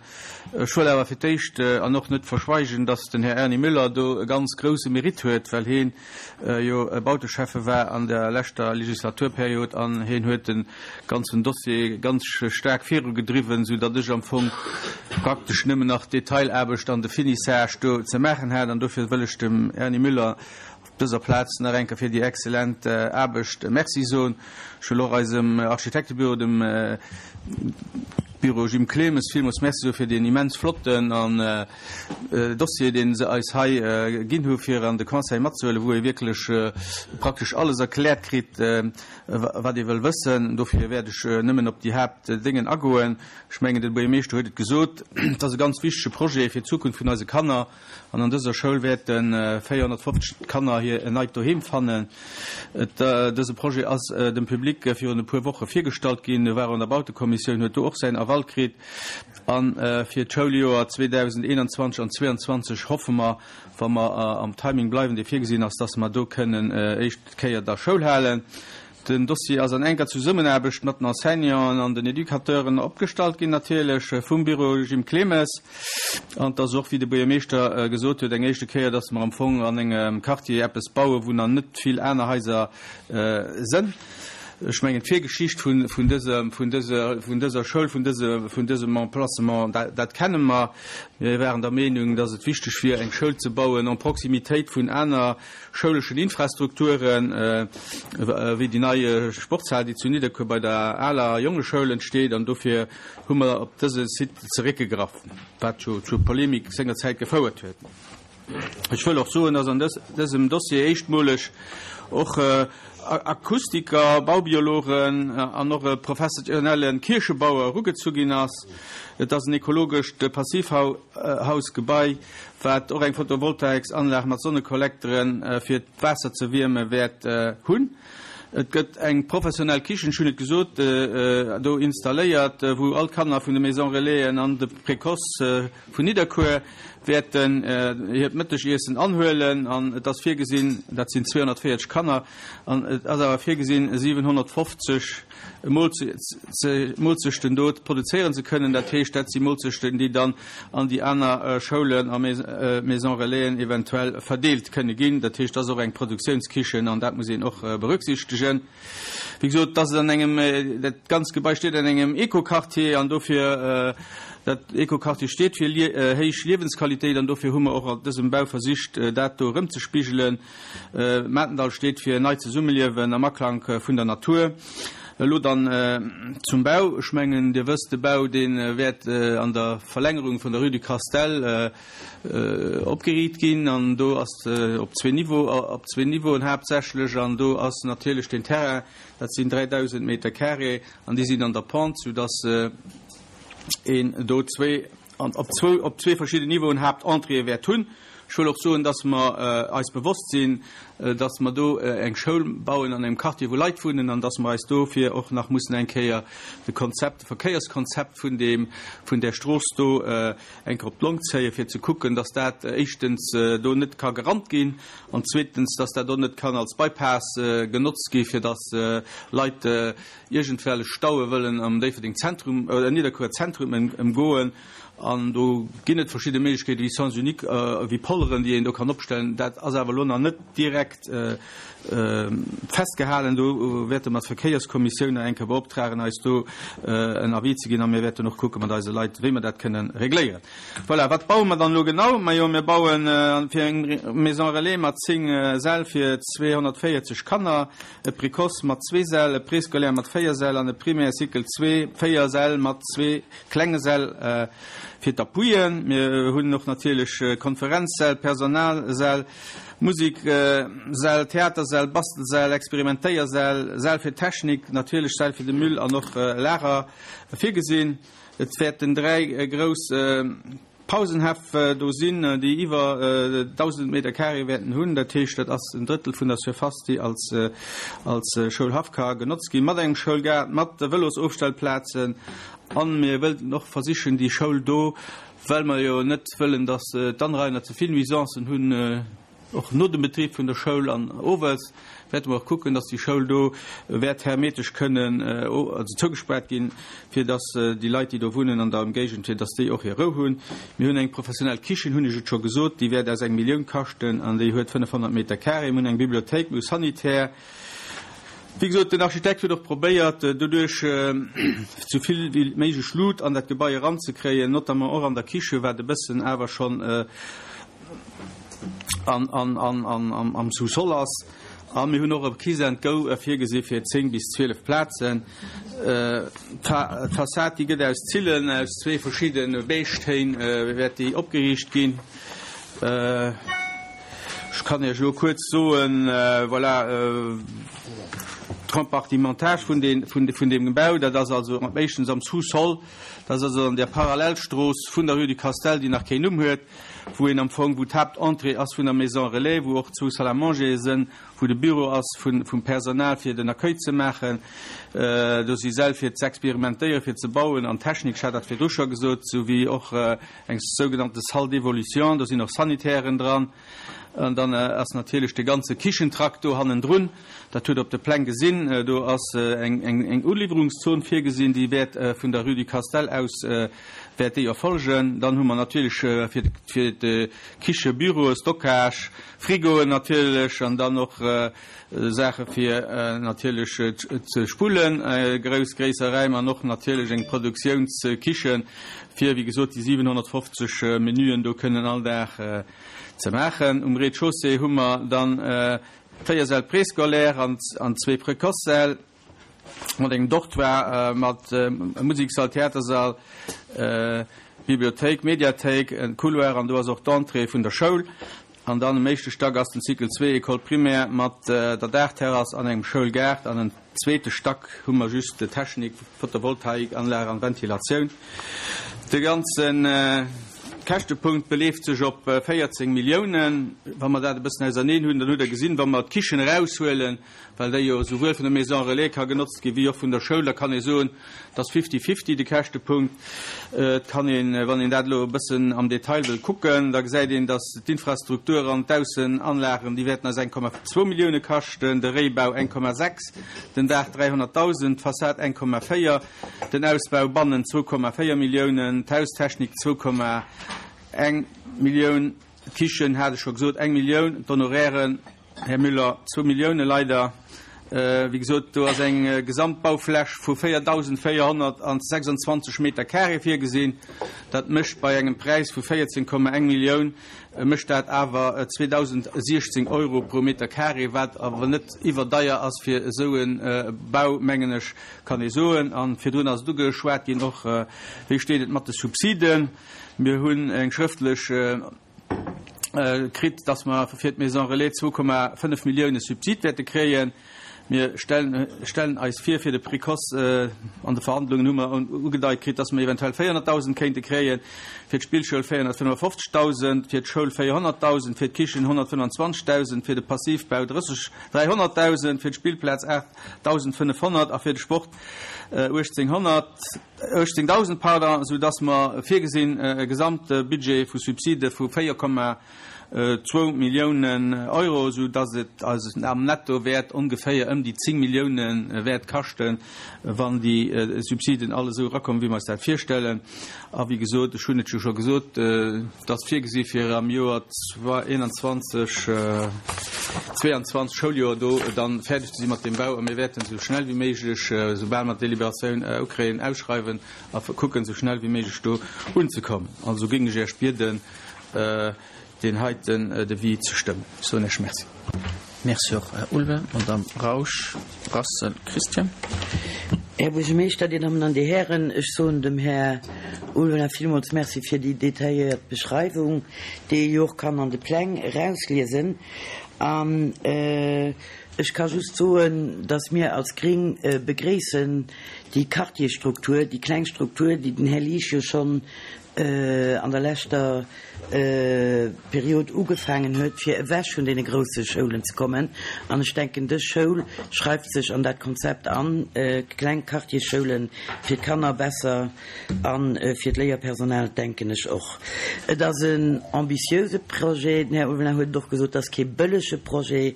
Ech wëll awer fir d'éischt an och net verschweigen, dass den Här Erny Müller do e ganz grouse Mérite huet, well heen jo Bauteschäffe war an der leschter Legislaturperiod an heen huet de ganzen Dossier ganz staark virugedriwwen, soudatt ech am Fong praktesch nëmmen nach d'Detailaarbecht an de Finissage do ze maachen hat. An dofir wëll ech dem Erny Müller op dëser Plaz nach eng Kéier fir déi exzellent Aarbecht Merci soen. Ech wëll och eisem Architektebüro, dem Büro Jim Clemes, villmools Merci soe fir deen immens flotten an Dossier, dee se eis hei ginn hu fir an de Conseil matzehuelen, wou ee wierklech praktesch alles erkläert kritt, wat ee wëll wëssen. Dofir wäert ech nëmmen op déi Haaptdéngen agoen. Ech mengen, de Buergermeeschter huet et gesot, et ass e ganz wichtege Projet fir d'Zukunft vun eise Kanner. An an dëser Schoul wäerte véierhonnertfofzeg Kanner hir en neit Doheem fannen. Dëse Projet ass dem Public virun e puer Woche virgestallt ginn, war an der Bautekommissioun, huet do och säin Aval kritt. A fir d'Schouljoer zweedausendeenanzwanzeg an zweeanzwanzeg hoffe mer, wa mer am Timing bleiwen, dee virgesinn ass, dass mer do kënnen éischt Kéier da Schoul halen. Den Dossier ass an enker Zesummenaarbecht mat den Enseignanten an den Educateuren opgestallt ginn, natierlech vum Büro Jim Clemes. An et ass och, wéi de Buergermeeschter gesot huet, eng éischte Kéier, dass mer am Fong an engem Quartier eppes bauen, wou nach net vill aner Haiser sënn. Ech mengen, d'Virgeschicht vun dëser Schoul, vun dësem Emplacement, dat kenne mer. Mir waren der Meenung, dass et wichteg wier, eng Schoul ze bauen en Proximitéit vun aner schouleschen Infrastrukturen, wéi déi nei Sportshal, déi zu Nidderkuer bei der aler Jongeschoul entsteet. An dofir hu mer op dëse Site zeréckgegraff, wat jo zu Polemik sengerzäit gefouert huet. Ech wëll och soen, dass an dësem Dossier éischtmoleg och Akustiker, Baubiologen an och e professionelle Kierchebauer erugezu ginn ass. Et ass en ekologescht Passivhausgebai, wat och eng Photovoltaiksanlag mat Sonnekollekteren, fir d'Waasser ze wierme wäert hunn. Et gëtt eng professionell Kichen, ech hunn et gesot, do installéiert, wou all d'Kanner vun de Maison Relaisen an de Précoce vun Nidderkuer wäerten hiert Mëttegiessen anhuelen. An et ass virgesinn, dat sinn zweehonnertvéierzeg Kanner, an et ass awer virgesinn, siwenhonnertfofzeg Moolzechten do produzéieren ze kënnen. Dat heescht, dat si Moolzechten, déi dann an déi aner Schoulen a Maison Relaisen eventuell verdeelt kënne ginn. Dat heescht, dat ass och eng Produktiounskichen an dat muss een och berücksichtegen. Wéi gesot, dat ass an engem, dat ganzt Gebai steet an engem Eco-Quartier an dofir, dat Eco-Quartier steet fir héich Liewensqualitéit an dofir hu mer och an dësem Bau versicht, dat do erëmzespigelen. Matendall steet fir neit Zesummeliewen am Aklank vun der Natur. Elo dann zum Bau. Ech mengen, Dir wësst, de Bau, dee wäert an der Verlängerung vun der Rue du Castel opgeriicht ginn. An do ass op zwee Niveau, op zwee Niveauen haaptsächlech. An do ass natierlech den Terrain, dat sinn dräidausend Meter carré, an déi sinn an der Pente, soudass een do zwee, an op zwou, op zwee verschidden Niveauen Haaptentréeë wäert hunn. Ech wëll och soen, dass mer eis bewosst sinn, dass mer do eng Schoul bauen an engem Quartier, wou Leit wunnen, an dass mer eis dofir och nach mussen eng Kéier de Konzept, de Verkéierskonzept vun deem, vun där Strooss do eng Kéier op d'Long zéien, fir ze kucken, dass dat éischtens do net ka gerannt ginn an zweetens, dass dat och net kann als Bypass genotzt gi fir dass Leit iergendwellech Staue wëllen am Déifferdeng Zentrum oder Nidderkuer Zentrum ëmgoen. An do ginn et verschidde Méiglechkeete wéi Sens unique, wéi Polleren, déi een do kann opstellen. Dat ass awer elo nach net direkt festgehalen. Do wäerte mer d'Verkéierskommissioun nach eng Kéier beoptragen, eis do en Avis ze ginn. A mir wäerten och kucke mat eise Leit, wéi mer dat kënnen regléieren. Voilà, wat baue mer dann elo genau? Majo, mir bauen fir eng Maison relais mat zéng Säll fir zweehonnertvéierzeg Kanner, e Précoce mat zwee Säll, e Préscolaire mat véier Säll an e Primaire Cycle zwee, véier Säll mat zwee klenge Säll fir d'Appuien. Mir hunn och natierlech Konferenzsäll, Personalsäll, Musiksäll, Theatersäll, Bastelsäll, Experimentéiersäll, Säll fir Technik, natierlech Säll fir de Müll an och Lager virgesinn. Et wäerten dräi grouss Pausenhäff do sinn, déi iwwer dausend Meter carré wäerten hunn. Dat heescht, dat ass en Drëttel vun der Surface, déi als als Schoulhaff ka genotzt ginn, mat engem Schoulgaart, mat Vëlosofstellplazen. A mir wëllten och versichen, déi Schoul do, well mer jo net wëllen, datt d'Anrainer ze vill Nuisancen hunn, och no dem Betrib vun der Schoul an owes, wäerte mer och kucken, datt déi Schoul do wäert hermetesch kënnen also zougespaart ginn, fir datt déi Leit, déi do wunnen an der Ëmgéigend, fir datt déi och hir Rou hunn. Mir hunn eng professionell Kichen, hunn ech et scho gesot, déi wäert eis eng Millioun kaschten an déi huet fënnefhonnert Meter carré. Mir hunn eng Bibliothéik, mir hu Sanitär. Wéi gesot, den Architekt huet och probéiert, doduerch sou vill wéi méiglech Lut an dat Gebai eranzekréien, notamment och an der Kiche, wat e bëssen awer schonn am Sous-sol ass. A mir hunn och e Kiss and Go virgesi fir zéng bis zwielef Plazen. D'Fassad, déi gëtt aus Zillen, aus zwee verschidde Beige-Téin wäert déi opgeriicht ginn. Ech kann Iech elo kuerz soen, voilà, d'Compartimentage vun den, vun, vun deem Bau, dat ass also éischtens am Sous-sol, dat ass also an der Parallelstrooss vun der Rue du Castel, déi nach keen Numm huet, wou een am Fong, wou d'Haaptentrée ass vun der Maison Relais, wou och zwou Salle à manger sinn, wou de Büro ass vun, vum Personal fir den Accueil ze maachen. Do si Säll fir z'experimentéieren, fir ze bauen an Technik, ech hat dat virdru scho gesot, souwéi och eng sougenannte Salle d'évolution, do sinn och Sanitären dran. An dann ass natierlech de ganze Kichentrakt do hannendrun, dat hutt Der op de Pläng gesinn, do ass eng, eng, eng Uliwwerungszon virgesinn, déi wäert vun der Rue du Castel aus wäert déi erfolgen. Dann hu mer natierlech fir, fir d'Kiche Büroe, Stockage, Frigoen natierlech an dann och Saache fir natierlech ze spullen, grouss, gréisser Räim an och natierlech eng Produktiounskichen, fir, wéi gesot, déi siwenhonnertfofzeg Menüen do kënnen all Dag ze maachen. Um Rez-de-chaussée hu mer dann véier Säll préscolaire an zwee Précoce-Säll mat engem Dortoir, mat Museksall, Theatersall, Bibliothéik, Mediathéik, en Couloir an do ass och d'Entrée vun der Schoul. An dann am éischte Stack ass den Cycle zwee École primaire mat der Daachterrass an engem Schoulgaart. An en zweete Stack hu mer just Technik, Photovoltaikanlag an Ventilatioun. De ganze Käschtepunkt beleeft sech op véierzéng Milliounen. Wa mer dat e bëssen auserneen hunn, dann hutt Der gesinn, wa mer d'Kichen eraushuelen, well déi jo souwuel vun der Maison relais ka genotzt ginn, wéi och vun der Schoul, da kann ee soen, et ass fifty-fifty de Käschtepunkt. Et kann een, wann een dat elo e bëssen am Detail wëll kucken, da gesäit een, datt d'Infrastruktur an d'Aussenanlagen, déi wäerten eis eng Komma zwou Millioune kaschten, de Réibau eng Komma sechs, den Daach dräihonnertdausend, d'Fassad eng Komma véier, den Ausbau bannen zwou Komma véier Milliounen, d'Haustechnik zwou Komma eng Millioun, d'Kichen, hat ech scho gesot, eng Millioun, d'Honorairen, Här Müller, zwou Millioune leider. Wéi gesot, do ass eng Gesamtbaufläch vu véierdausendvéierhonnertsechsundzwanzeg Meter carré virgesinn. Dat mécht bei engem Präis vu véierzéng Komma eng Millioun, mécht dat awer zweedausendsechzéng Euro pro Meter carré, wat awer net iwwerdeier ass fir esou e Bau, mengen ech, kann ee soen. A virdrun ass et ugeschwat ginn och, wéi steet et mat de Subsiden? Mir hunn eng schrëftlech kritt, dass mer fir d'Maison relais zwou Komma fënnef Millioune Subsid wäerte kréien. Mir stellen eis vir, fir de Précoce, an de Verhandlungen hu mer ugedeit kritt, dass mer eventuell véierhonnertdausend kéinte kréien, fir d'Spillschoul véierhonnertfënnefofzegdausend, fir d'Schoul véierhonnertdausend, fir d'Kichen honnertfënnwanzwanzegdausend, fir de Passivbau drësseg, dräihonnertdausend, fir d'Spillplaz aachtdausendfënnefhonnert a fir de Sport uechtzénghonnert, uechtzéngdausend, pardon, soudass mer virgesinn e Gesamtbudget vu Subside vu véier Komma zwou Milliounen Euro, sou dass et eis am Netto wäert ongeféier ëm déi zéng Millioune wäert kaschten, wann déi Subsiden all esou erakommen, wéi mer eis dat virstellen. A wéi gesot, ech hunn et jo scho gesot, et ass virgesi fir am Joer einundzwanzeg, zweiundzwanzeg Schouljoer do dann fäerdeg ze si mat deem Bau. A mir wäerten esou schnell wéi méiglech, soubal mer d'Deliberatioun ukréien, ausschreiwen a kucken, esou schnell wéi méiglech do unzekommen. Also géing ech Iech bieden, deen heiten Devis ze stëmmen. Ech soen Iech Merci. Merci och, Här Ulven. Madame Rausch, Brassel, Christian. Här Buergermeeschter, Dir Dammen an Dir Hären, ech soen dem Här Ulveling villmools Merci fir déi detailléiert Beschreiwung, déi ee jo och kann an de Pläng erausliesen. An ech ka just soen, dass mir als Gring begréissen déi Quartierstruktur, déi kleng Struktur, déi den Här Liesch jo schonn an der leschter Period ugefaangen huet, fir ewech vun deene grousse Schoulen ze kommen. An ech denken, dës Schoul schreift sech an dat Konzept an, kleng Quartiersschoule fir d'Kanner besser a fir d'Léierpersonal, denken ech och. Et ass en ambitiöse Projet. Den Här Ulveling huet et och gesot, et ass kee bëllege Projet,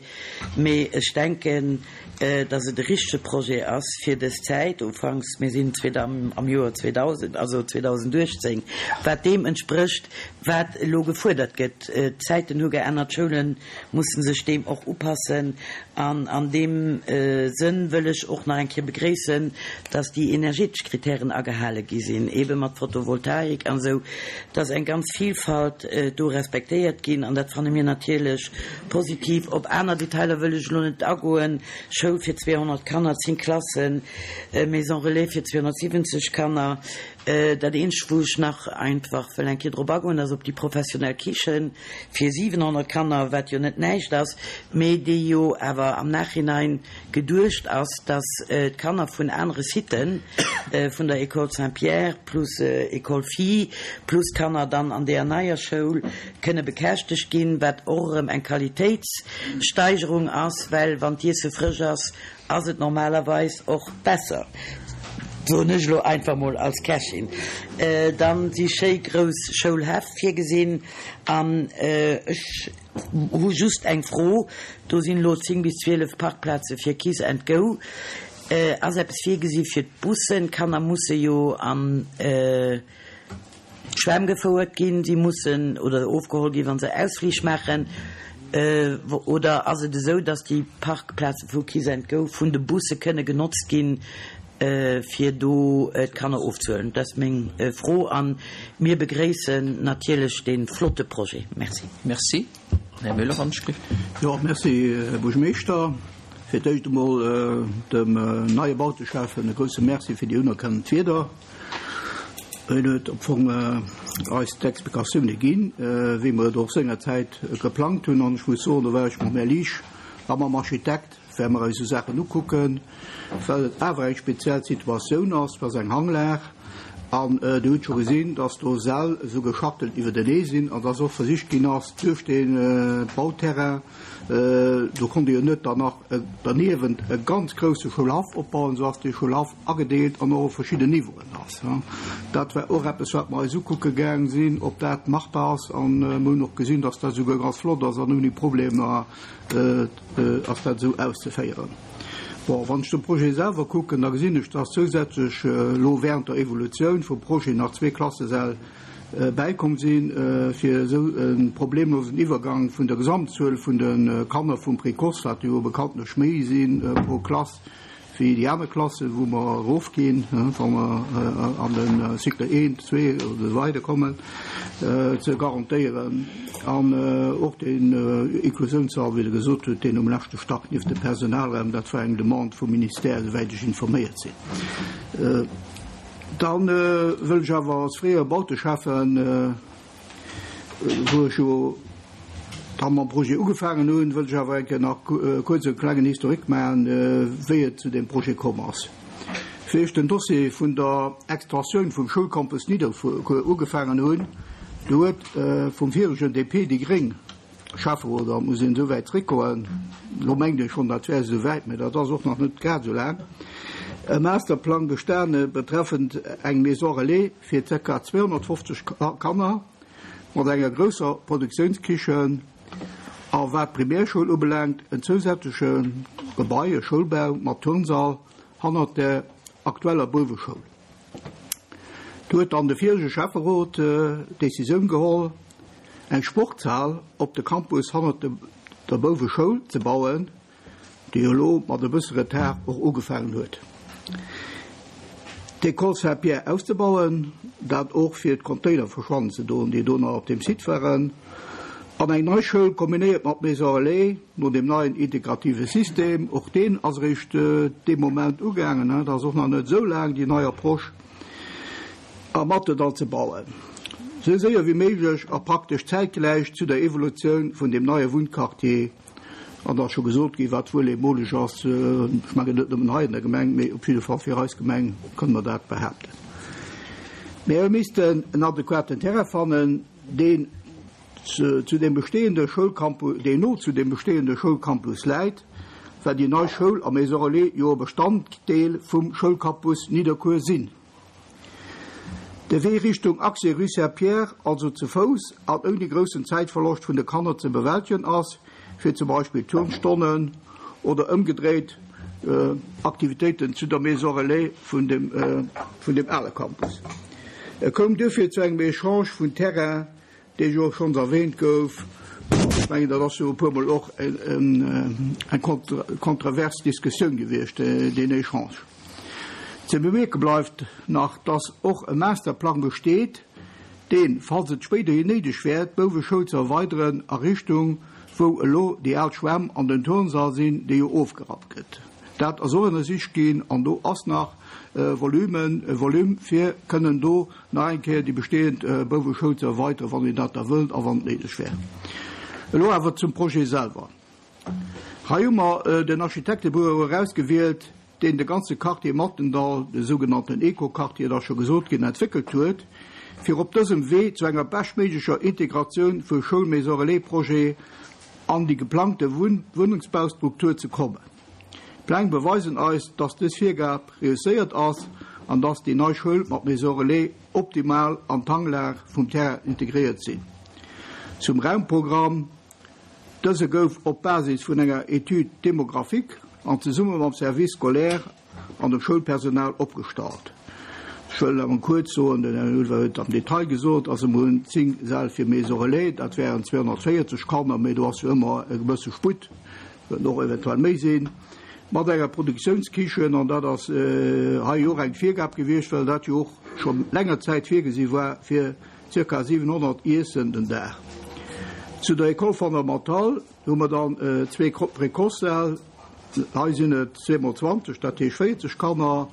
mee ech denken, dass et e richtege Projet ass fir dës Zäit, ufanks, mir sinn am Joer zweedausend, also zweedausenduechtzéng, wat deem entsprécht, wat elo gefuerdert gëtt. D'Zäiten hu geännert, d'Schoule mussen sech deem och upassen. An an deem Sënn wëll ech och nach eng Kéier begréissen, dass déi energetesch Kritären agehale gi sinn, eebe mat Photovoltaik an esou, dass eng ganz Vielfalt do respektéiert ginn. An dat fanne mir natierlech positiv. Op aner Detailer wëll ech elo net agoen, Schoul fir zweehonnert Kanner, zéng Klassen, Maison relais fir zweehonnertsiwwenzeg Kanner. Dat eenzegt, wou ech nach einfach wëll eng Kéier drop agoen, ass op déi professionell Kichen fir siwenhonnert Kanner, wat jo net näischt ass, mee déi jo awer am Nachhinein geduecht ass, dass d'Kanner vun anere Siten, vun der École Saint-Pierre plus École Filles plus d'Kanner dann an deeër neier Schoul kënne bekäschtegt ginn, wat och erëm eng Qualitéitssteigerung ass, well wann d'Iesse frësch ass, ass et normalerweis och besser, soen ech elo einfach mol als Kächin. Dann si schéi grouss Schoulhäff virgesinn an ech hu just eng Fro, do sinn elo zéng bis zwielef Parkplaze fir Kiss and Go. Ass eppes virgesi fir d'Bussen? D'Kanner musse jo an d'Schwämm gefouert ginn, si mussen oder ofgeholl ginn, wa se Ausflich maachen. Oder ass et esou, datt déi Parkplaze vu Kiss and Go vun de Busse kënne genotzt ginn, fir do d'Kanner ofzehuelen? Dat ass meng Fro. A mir begréissen natierlech dee flotte Projet. Merci. Merci. Här Müller, wann ech gelift. Jo, merci, Här Buergermeeschter. Fir d'éischt emol dem neie Bauteschäffen e grouse Merci fir déi unerkennend Wierder. Hien huet am Fong eis d'Explikatioune ginn, wéi mer et och sengerzäit geplangt hunn. An ech muss soen, do war ech mam Här Liesch a mam Architekt, well mer eis esou Saachen ukucken, well et awer eng speziell Situatioun ass, et ass eng Hanglag an Dir hutt scho gesinn, dass do Säll esou geschachtelt iwwertenee sinn an dass och versicht ginn ass, duerch dee Bauterrain, do konnt ee jo net dann nach derniewent e ganz grousse Schoulhaff opbauen, esou ass dee Schoulhaff agedeelt an och op verschidden Niveauen ass. Dat war och eppes, wat mer eis ukucke gaang sinn, ob dat machbar ass. An mer hunn och gesinn, dass dat esouguer ganz flott ass an ouni Problemer ass dat esou auszeféieren. Bon, wann ech de Projet selwer kucken, da gesinn ech, dass zousätzlech elo während der Evolutioun vum Projet nach zwee Klassesäll bäikomm sinn, fir esou e problemlosen Iwwergang vun der Gesamtzuel vun de Kanner vum Précoce, wat jo bekanntlech méi si pro Klass wéi déi aner Klassen, wou mer erofginn, wa mer an de Cycle eent, zwee oder esou weider kommen, ze garantéieren. An och den Inklusiounssall, wéi Der gesot hutt, deen um leschte Stack nieft de Personalraum, dat war eng Demande vum Ministère, esouwäit ech informéiert sinn. Da wëll ech awer als fréiere Bauteschäffen, wou ech jo da mam Projet ugefaangen hunn, wëll ech awer eng Kéier nach kuerz e klengen Historique maachen, wéi et zu deem Projet komm ass. Wéi ech den Dossier vun der Extensioun vum Schoulcampus Nidderkuer ugefaangen hunn, do huet vum viregen D P déi gréng Schäfferot, da muss een esou wäit zréckgoen, elo mengt ee schonn, dat wär esou wäit, mä dat ass och nach net grad esou laang, e Masterplang bestane betreffend eng Maison relais fir zirka zweehonnertfofzeg Kanner mat enger grousser Produktiounskichen a wat d'Primärschoul ubelaangt, en zousätzleche Gebai, e Schoulbau mat Turnsall hannert der aktueller Bouweschoul. Do huet dann de virege Schäfferot d'Decisioun geholl, eng Sportshal op de Campus hannert der Bouweschoul ze bauen, déi elo mat e bësse Retard och ugefaangen huet. D'École Saint-Pierre auszebauen, dat och fir d'Container verschwannen ze doen, déi do nach op deem Site waren, an eng nei Schoul kombinéiert mat Maison Relais no deem neien integrative System, och deen ass eréischt dee Moment ugaangen, dat ass och nach net esou laang, déi nei Approche, a Mattedall ze bauen, esou séier wéi méiglech a praktesch zäitgläich zu der Evolutioun vun deem neie Wunnquartier. An da ass scho gesot ginn, wat wuel eemoleg ass, ech mengen net nëmmen hei an der Gemeng, mee op jidde Fall fir eis Gemeng kënne mer dat behaapten. Mir hu missten en adequaten Terrain fannen, deen zu deem bestehende Schoulcampus, deen no zu deem bestehende Schoulcampus läit, well déi nei Schoul a Maison Relais jo e Bestanddeel vum Schoulcampus Nidderkuer sinn. De Wee Richtung Accès Rue Saint-Pierre also ze Fouss an ouni groussen Zäitverloscht vun de Kanner ze bewältegen ass, fir zum Beispill Turnstonnen oder ëmgedréit Aktivitéiten zu der Maison Relais vun dem vun dem ale Campus. Et koum duerfir zu engem Echange vun Terrain, dee jo och schonns erwähnt gouf. Ech mengen, dat ass jo e puermol och eng kontrovers Diskussioun gewiescht, deen Echange. Ze bemierke bleift nach, dass och e Masterplang besteet, deen, falls et spéiderhin néideg wär, d'Bouweschoul ze erweideren a Richtung, wou elo déi al Schwämm an den Turnsall sinn, dee jo ofgerappt gëtt. Dat ass och ënnersicht ginn an do ass nach Volumen, Volume fir kënnen do nach eng Kéier déi bestehend Bouweschoul ze erweideren, wann een dat da wëllt a wann et néideg wär. Elo awer zum Projet selwer. Hei hu mer den Architektebüro erausgewielt, deen de ganze Quartier Mattendall, de sougenannten Eco-Quartier, et ass scho gesot ginn, entwéckelt huet, fir op dësem Wee zu enger beschtméiglecher Integratioun vu Schoul-Maison-relais-Projet an déi geplangte Wunnungsbaustruktur ze kommen. D'Pläng beweisen eis, dass dës Virgab reusséiert ass an dass déi nei Schoul mat Maison relais optimal an d'Hanglag vum Terrain integréiert sinn. Zum Raumprogramm, Dëse gouf op Basis vun enger Étude démographique an zesumme mam Service scolaire an dem Schoulpersonal opgestallt. Ech wëll awer kuerz soen, den Här Ulver huet et am Detail gesot, also mer hunn zéng Säll fir Maison relais, dat wären zweehonnertvéierzeg Kanner, mee do ass jo ëmmer e gewësse Sputt, kënnen och eventuell méi sinn, mat enger Produktiounskichen, an dat ass hei jo och eng Virgab gewiescht, well dat jo och scho länger Zäit virgesi war fir zirka siwenhonnert Iessen den Dag. Zu der École fondamentale hu mer dann zwee Précoce-Säll, hei sinn et zwee mol zwanzeg, dat heescht véierzeg Kanner,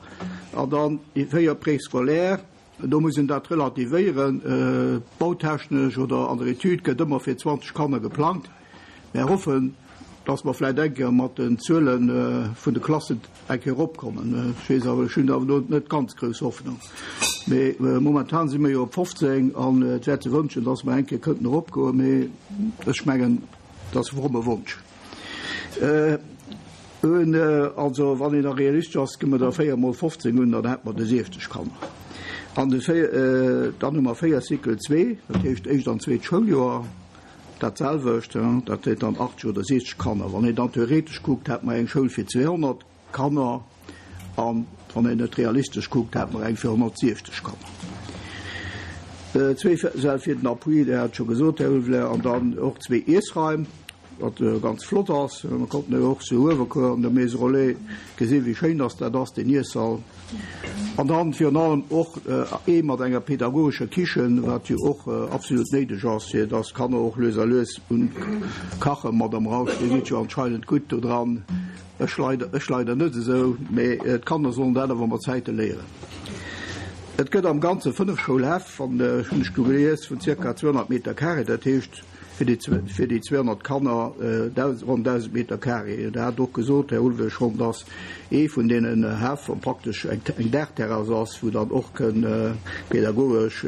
an dann déi véier Préscolaires, do muss een dat relativéieren, bautechnesch oder an der Etüd gëtt ëmmer fir zwanzeg Kanner geplangt. Mär hoffen, dass mer vläicht eng Kéier mat den Zuele vun de Klassen eng Kéier eropkommen. Ech weess awer, ech hunn awer do net ganz grouss Hoffnung. Mee momentan si mer jo op fofzéng an et wär ze wënschen, dass mer eng Kéier kënnten eropgoen. Mee ech mengen, dat ass e fromme Wonsch. Un, also wann een da realistesch ass, gi mer der véier mol fofzéng un, dann hätte mer de siefzeg Kanner. An de véier, dann hu mer véier Cycle zwee, dat heescht éischt an zweet Schouljoer, dat selwecht, dat huet dann achtzeg oder siechzeg Kanner. Wann een dann theoretesch kuckt, hätte mer eng Schoul fir zweehonnert Kanner an wann een et realistesch kuckt, hätte mer eng fir honnertsiechzeg Kanner. Zwee Säll fir den Appui, Dir hat et scho gesot, Här Ulveler, an dann och zwee Iessraim, wat ganz flott ass. Mer konnten jo och zu Uewerkuer an der Maison Relais gesinn, wéi schéin dass dat ass, deen Iessall. An dann virun allem och ee mat enger pedagogescher Kichen, wat jo och absolut néideg ass, fir dass d'Kanner och lues a lues un kachen. Madame Rausch, Dir sidd jo anscheinend gutt do dran, ech leider, ech leider net esou, mee d'Kanner sollen dat awer mat Zäite léieren. Et gëtt am Ganze fënnef Schoulhäff, an hunn ech gelies, vun zirka zweehonnert Meter carré, dat heescht fir déi fir déi zweehonnert Kanner ronn dausend Meter carré. Der hat och gesot, Här Ulvesch, schonn, dass ee vun deenen Häff praktesch eng Daachterrass ass, wou dann och kënn pedagogesch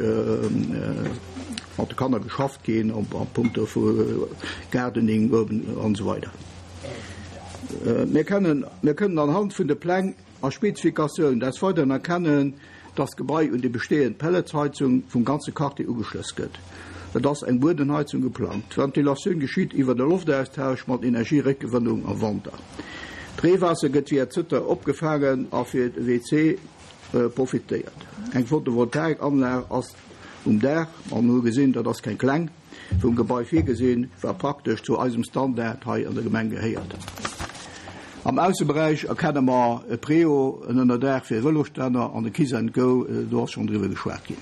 mat de Kanner geschafft ginn a punkto vu Gardening an esou weider. Mir kënnen, mir kënnen anhand vun de Pläng a Spezifikatioun des Weideren erkennen, dass d'Gebai un déi bestehend Pelletsheizung vum ganze Quartier ugeschloss gëtt. Et ass eng Buedenheizung geplangt. D'Ventilatioun geschitt iwwer e Loftaustausch mat Energieréckgewënnung am Wanter. D'Reewaasser gëtt via Zëtter opgefaangen a fir de W C profitéiert. Eng Photovoltaikanlag ass um Daach, an hu gesinn, dat ass keng kleng, vum Gebai virgesinn, wat praktesch zu eisem Standard hei an der Gemeng gehéiert. Am Ausseberäich erkenne mer e Préau, en Ënnerdaach fir Vëlosstänner an e Kiss and Go, do ass schonn driwwer geschwat ginn.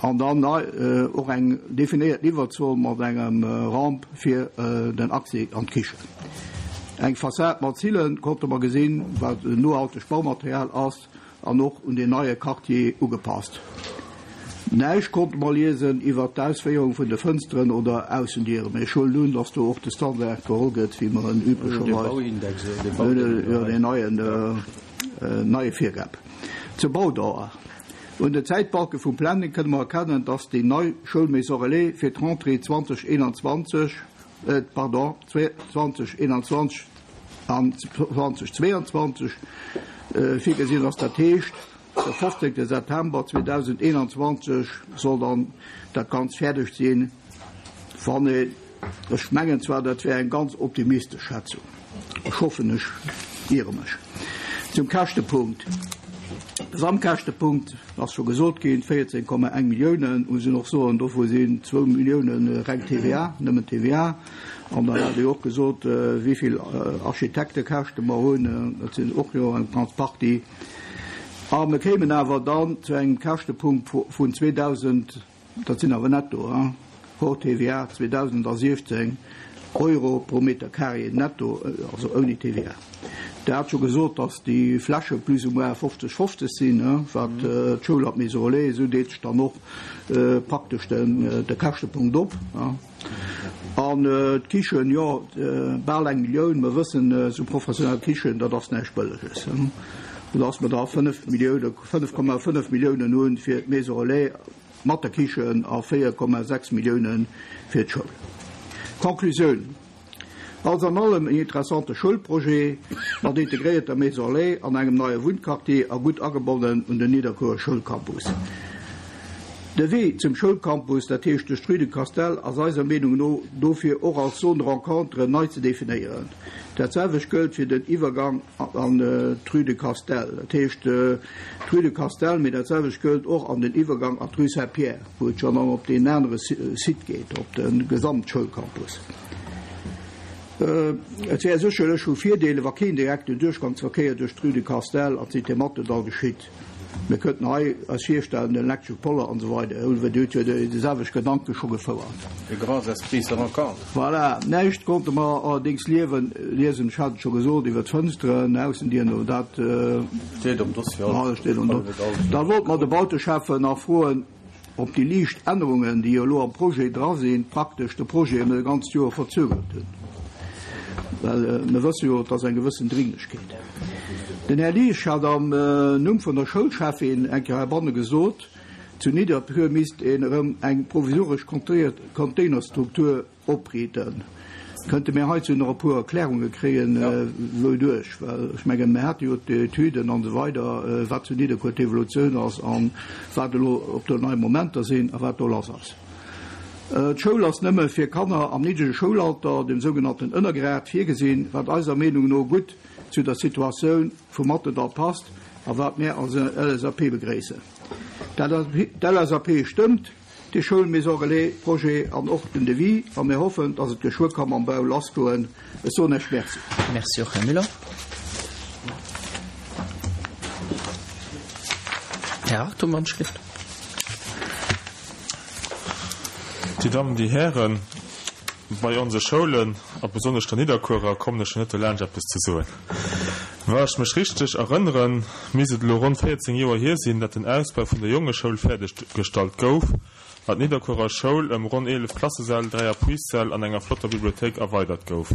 An dann och eng definéiert Liwwerzon mat engem Ramp fir den Accès an d'Kichen. Eng Fassad mat Zille konnte mer gesinn, wat en nohaltegt Baumaterial ass an och un den neie Quartier ugepasst. Näischt konnte mer liesen iwwert d'Ausféierung vun de Fënsteren oder Aussendieren, mee ech huelen un, dass do och de Standard geholl gëtt, wéi mer en üblecherweis, jo, deen neien, neie Virgab. Zur Baudauer. Un den Zäitbalke vum Planning kënne mer erkennen, dass déi nei Schoul-Maison Relais fir d'Rentrée zweedausendeenundzwanzeg, pardon, zweedausendeenundzwanzeg an zweedausendzweiundzwanzeg virgesinn ass. Dat heescht, de fofzéngte September zweedausendeenundzwanzeg soll dann dat Ganzt fäerdeg sinn. Wann ee, ech mengen zwar, dat wär eng ganz optimistesch Schätzung. Ech hoffen, ech iere mech. Zum Käschtepunkt. Gesamtkäschtepunkt ass scho gesot ginn, véierzéng Komma eng Milliounen. Muss een och soen, dovu sinn zwou Millioune reng T V A, nëmmen T V A. An dann hat Dir och gesot, wéi vill Architektekäschte mer hunn. Dat sinn och jo eng ganz Partie. A mir kéimen awer dann zu engem Käschtepunkt vun zweedausend, dat sinn awer netto, hors T V A, zweedausendsiechzéng Euro pro Meter carré netto, also ouni T V A. Der hat scho gesot, datt déi Fläche plus ou moins fofzeg fofzeg sinn, wat d'Schoul an d'Maison Relais, esou deet sech dann och praktesch de Käschtepunkt op. An d'Kichen, jo, bal eng Millioun. Mer wëssen, esou professionell Kichen, dat ass näischt Bëlleges. Soudass mer da fënnef Milliounen, fënnef Komma fënnef Milliounen hunn fir d'Maison Relais mat der Kichen a véier Komma sechs Milliounen fir d'Schoul. Conclusioun. Alles an allem en interessante Schoulprojet mat integréierter Maison Relais an engem neie Wunnquartier a gutt agebonnen un den Nidderkuerer Schoulcampus. De Wee zum Schoulcampus, dat heescht duerch d'Rue du Castel, ass eiser Meenung no dofir och als Zone de rencontre nei ze definéieren. Dat selwecht gëllt fir den Iwwergang an d'Rue du Castel, dat heescht d'Rue du Castel, mee dat selwecht gëllt och an den Iwwergang an d'Rue Saint-Pierre, wou et jo dann op deen anere Site geet, op de Gesamtschoulcampus. Et wär sécherlech vu Virdeel, wa keen direkten Duerchgangsverkéier duerch d'Rue du Castel an d'Cité Mathendahl geschitt. Mir kënnten hei eis virstellen, den elektresche Poller an esou weider, Här Dir hutt jo déi selwecht Gedanke scho gefouert. Les grands esprits se rencontrent. Voilà. Näischt konnte mer allerdéngs liewen, liesen, ech hat et scho gesot, iwwer d'Fënsteren, Aussendieren, oder dat. Steet am Dossier. Alles steet am Dossier. Da wollte mer de Bauteschäffen nach froen, ob déi liicht Ännerungen, déi jo elo am Projet dra sinn, praktesch de Projet ëm e ganzt Joer verzögert hunn. Well mir wësse jo, et ass eng gewëssen Dringlechkeet. Den Här Liesch hat am Numm vun der Schoulcheffin eng Kéier heibanne gesot, zu Nidderkuer misst een erëm eng provisoresch Containerstruktur opriiten. Kënnte mir heizou nach e puer Erklärunge kréien, wouduerch? Well ech mengen, mir hate jo d'Etüden an esou weider, wat zu Nidderkuer d'Evolutioun ass a wat elo, ob do nei Momenter sinn a wat do lass ass. D'Schoul ass nëmme fir Kanner am niddrege Schoulalter, dem sougenannten Ënnergrad, virgesinn, wat eiser Meenung no gutt zu der Situatioun vum Mattendall passt a wat mär als L S A P begréissen. D'L S A P stëmmt de Schoul-Maison Relais Projet an och den Devis a mir hoffen, dass et geschwë ka mam Bau lassgoen. Ech soen Iech Merci. Merci och, Här Müller. Här Hartung, Handschrift. Dir Dammen, Dir Hären, bei onse Schoulen, a besonnesch der Nidderkuerer, kommen ech jo net dolaanscht eppes ze soen. Wa ech mech richteg erënneren, misst et elo ronn véierzéng Joer hier sinn, dat den Ausbau vun der Jongeschoul fäerdeg gestallt gouf an d'Nidderkuerer Schoul ëm ronn eelef Klassesäll, dräi Appuissäll an enger flotter Bibliothéik erweidert gouf.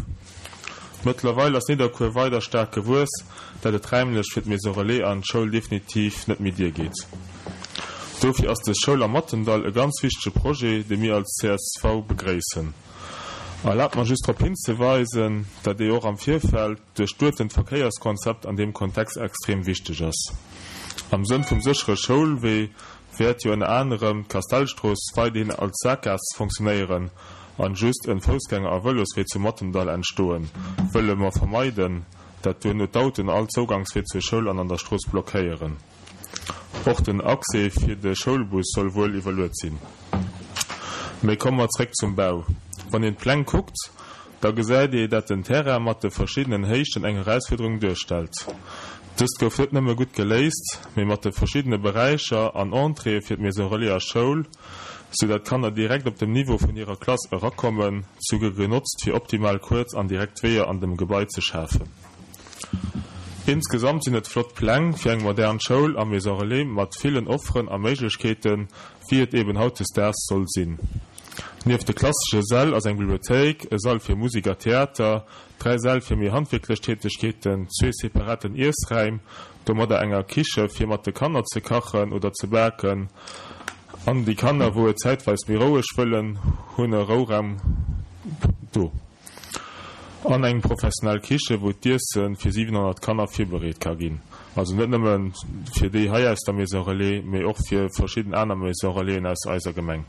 Mëttlerweil ass Nidderkuer weider staark gewuess, dat et räimlech fir d'Maison Relais an d'Schoul definitiv net méi diergeet. Dofir ass dës Schoul am Mattendall e ganz wichtege Projet, dee mir als C S V begréissen. Erlaabt mer just drop hinzeweisen, dat ee och am Virfeld duerchduechtent Verkéierskonzept an deem Kontext extrem wichteg ass. Am Sënn vum séchere Schoulwee wäert jo ënner anerem d'Kastellstrooss weiderhin als Sakgaass funktionéieren an just en Foussgänger a Vëloswee zum Mattendall entstoen, wëlle mer vermeiden, dat duerno d'Autoen all Zougangswee zur Schoul an an der Strooss blockéieren. Och den Accès fir de Schoulbus soll wuel iwwerluet sinn. Mee komme mer zréck zum Bau. Wann een d'Pläng kuckt, da gesäit ee, dat den Terrain mat de verschiddenen Héichten eng Erausfuerderung duerstellt. Dëst gouf net nëmme gutt geléist, mee mat de verschiddene Beräicher an Entréeë fir d'Maison Relais a Schoul, sou dat d'Kanner direkt op dem Niveau vun hirer Klass erakommen, souguer genotzt fir optimal kuerz an direkt Weeër an dem Gebai ze schafen. Insgesamt sinn et flott Pläng fir eng modern Schoul a Maison Relais mat villen Offeren a Méiglechkeeten, wéi et eben hautdesdaags soll sinn. Nieft de klassesche Säll ass eng Bibliothéik, e Sall fir Musek a Theater, dräi Säll fir méi handwierklech Tätegkeeten, zwee separaten Iessraim, domadder enger Kiche fir mat de Kanner ze kachen oder ze baken, an déi Kanner wou et zäitweis méi roueg wëllen, hunn e Rouraum do. An eng professionell Kiche wou d'Iesse fir siwenhonnert Kanner virbereet ka ginn. Also net nëmme fir déi hei aus der Maison Relais, mee och fir verschidden aner Maison Relaisen aus eiser Gemeng.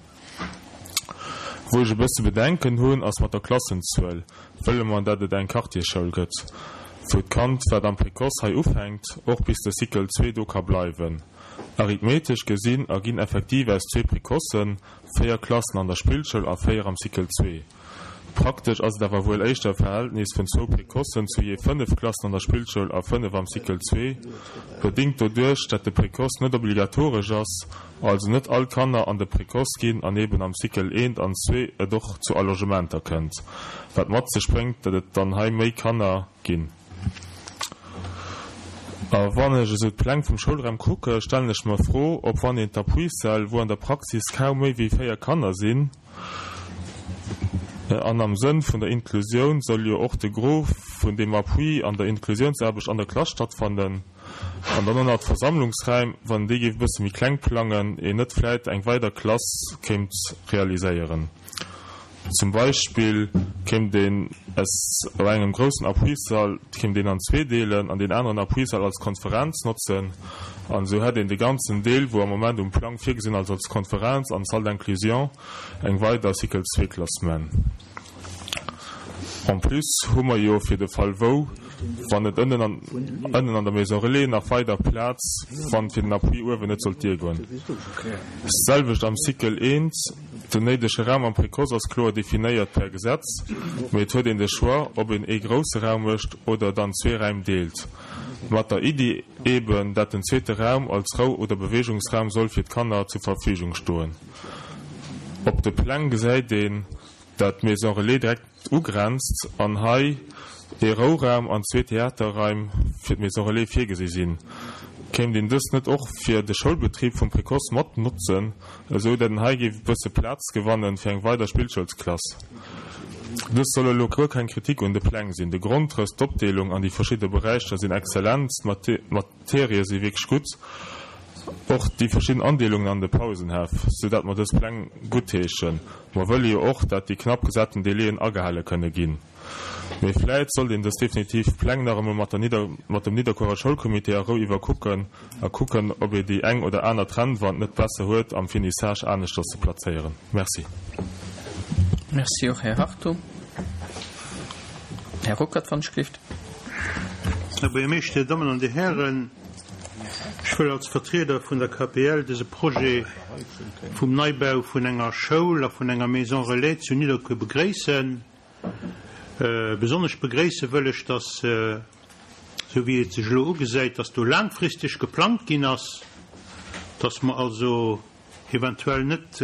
Wou ech e bësse Bedenken hunn, ass mat der Klassenzuel. Wëlle mer, dat et eng Quartierschoul gëtt, wou d'Kand, wat am Précoce hei ufänkt, och bis de Cycle zwee do ka bleiwen. Arithmetesch gesinn erginn effektiv aus zwee Précocen véier Klassen an der Spillschoul a véier am Cycle zwee. Praktesch ass et awer wuel éischter e Verhältnis vun zwou Précocen zu jee fënnef Klassen an der Spillschoul a fënnef am Cycle zwee, bedingt doduerch, dat de Précoce net obligatoresch ass, also net all Kanner an de Précoce ginn an eben am Cycle eent an zwee et och zu Allongementer kënnt, wat mat sech bréngt, dat et dann hei méi Kanner ginn. A wann ech esou d'Pläng vum Schoulraum kucke, stellen ech mer d'Fro, ob wann een d'Appuissäll, wou an der Praxis kaum méi wéi véier Kanner sinn, an am Sënn vun der Inklusioun soll jo och de Gros vun deem Appui an der Inklusiounsaarbecht an der Klass stattfannen, an dann och nach d'Versammlungsräim, wann déi géif e bësse méi kleng plangen, een net vläit eng weider Klass kéint realiséieren. Zum Beispill kéint een es op engem groussen Appuissall kéint een an zwee deelen an deen aneren Appuissall als Konferenz notzen an esou hätt een de ganzen Deel, wou am Moment um Plang virgesinn ass als Konferenz an Salle d'inclusion, eng weider Cycle zwee Klass man. En plus hu mer jo fir de Fall wou, wann et ënnen an ënnen an der Maison Relais nach weider Plaz, wann fir den Appui uewen net sollt duergoen. Selwecht am Cycle eent, den néidege Raum am Précoce ass kloer definéiert per Gesetz, mee et huet een de Choix, ob een ee grousse Raum mécht oder dann zwee Raim deelt. Mat der Iddi eben, dat den zweete Raum als Rou oder Bewegungsraum soll fir d'Kanner zur Verfügung stoen. Op de Pläng gesäit een, dat d'Maison Relais direkt ugrenzt an hei ee Rouraum an zwee Theaterraim fir d'Maison Relais virgesi sinn. Kéint een dës net och fir de Schoulbetrib vum Précoce mat notzen, esou dat een hei géif e bësse Plaz gewannen fir eng weider Spillschoulsklass? Dës soll elo guer keng Kritik un de Pläng sinn. De Grondrëss, d'Opdeelung an déi verschidde Beräicher sinn exzellent, d'Materie si wierklech gutt, och déi verschidden Andeelungen an de Pausenhäff, sou dat mer dës Pläng guttheeschen. Mer wëlle jo och, dat déi knapp gesaten Délaiën agehale kënne ginn. Mee vläit sollt een dës definitiv Pläng nach emol mat der Nidder mat dem Nidderkuerer Schoulcomité a Rou iwwerkucken a kucken, ob ee déi eng oder aner Trennwand net besser huet am Finissage aneschters ze plazéieren. Merci. Merci och, Här Hartung. Här Ruckert, wann ech gelift. Här Buergermeeschter, Dir Dammen an Dir Hären, ech wëll als Vertrieder vun der K P L dëse Projet vum Neibau vun enger Schoul a vun enger Maison Relais zu Nidderkuer begréissen. Besonnesch begréisse wëll ech, dass, esou wéi et sech elo ugesäit, dass do laangfristeg geplangt ginn ass, dass mer also eventuell net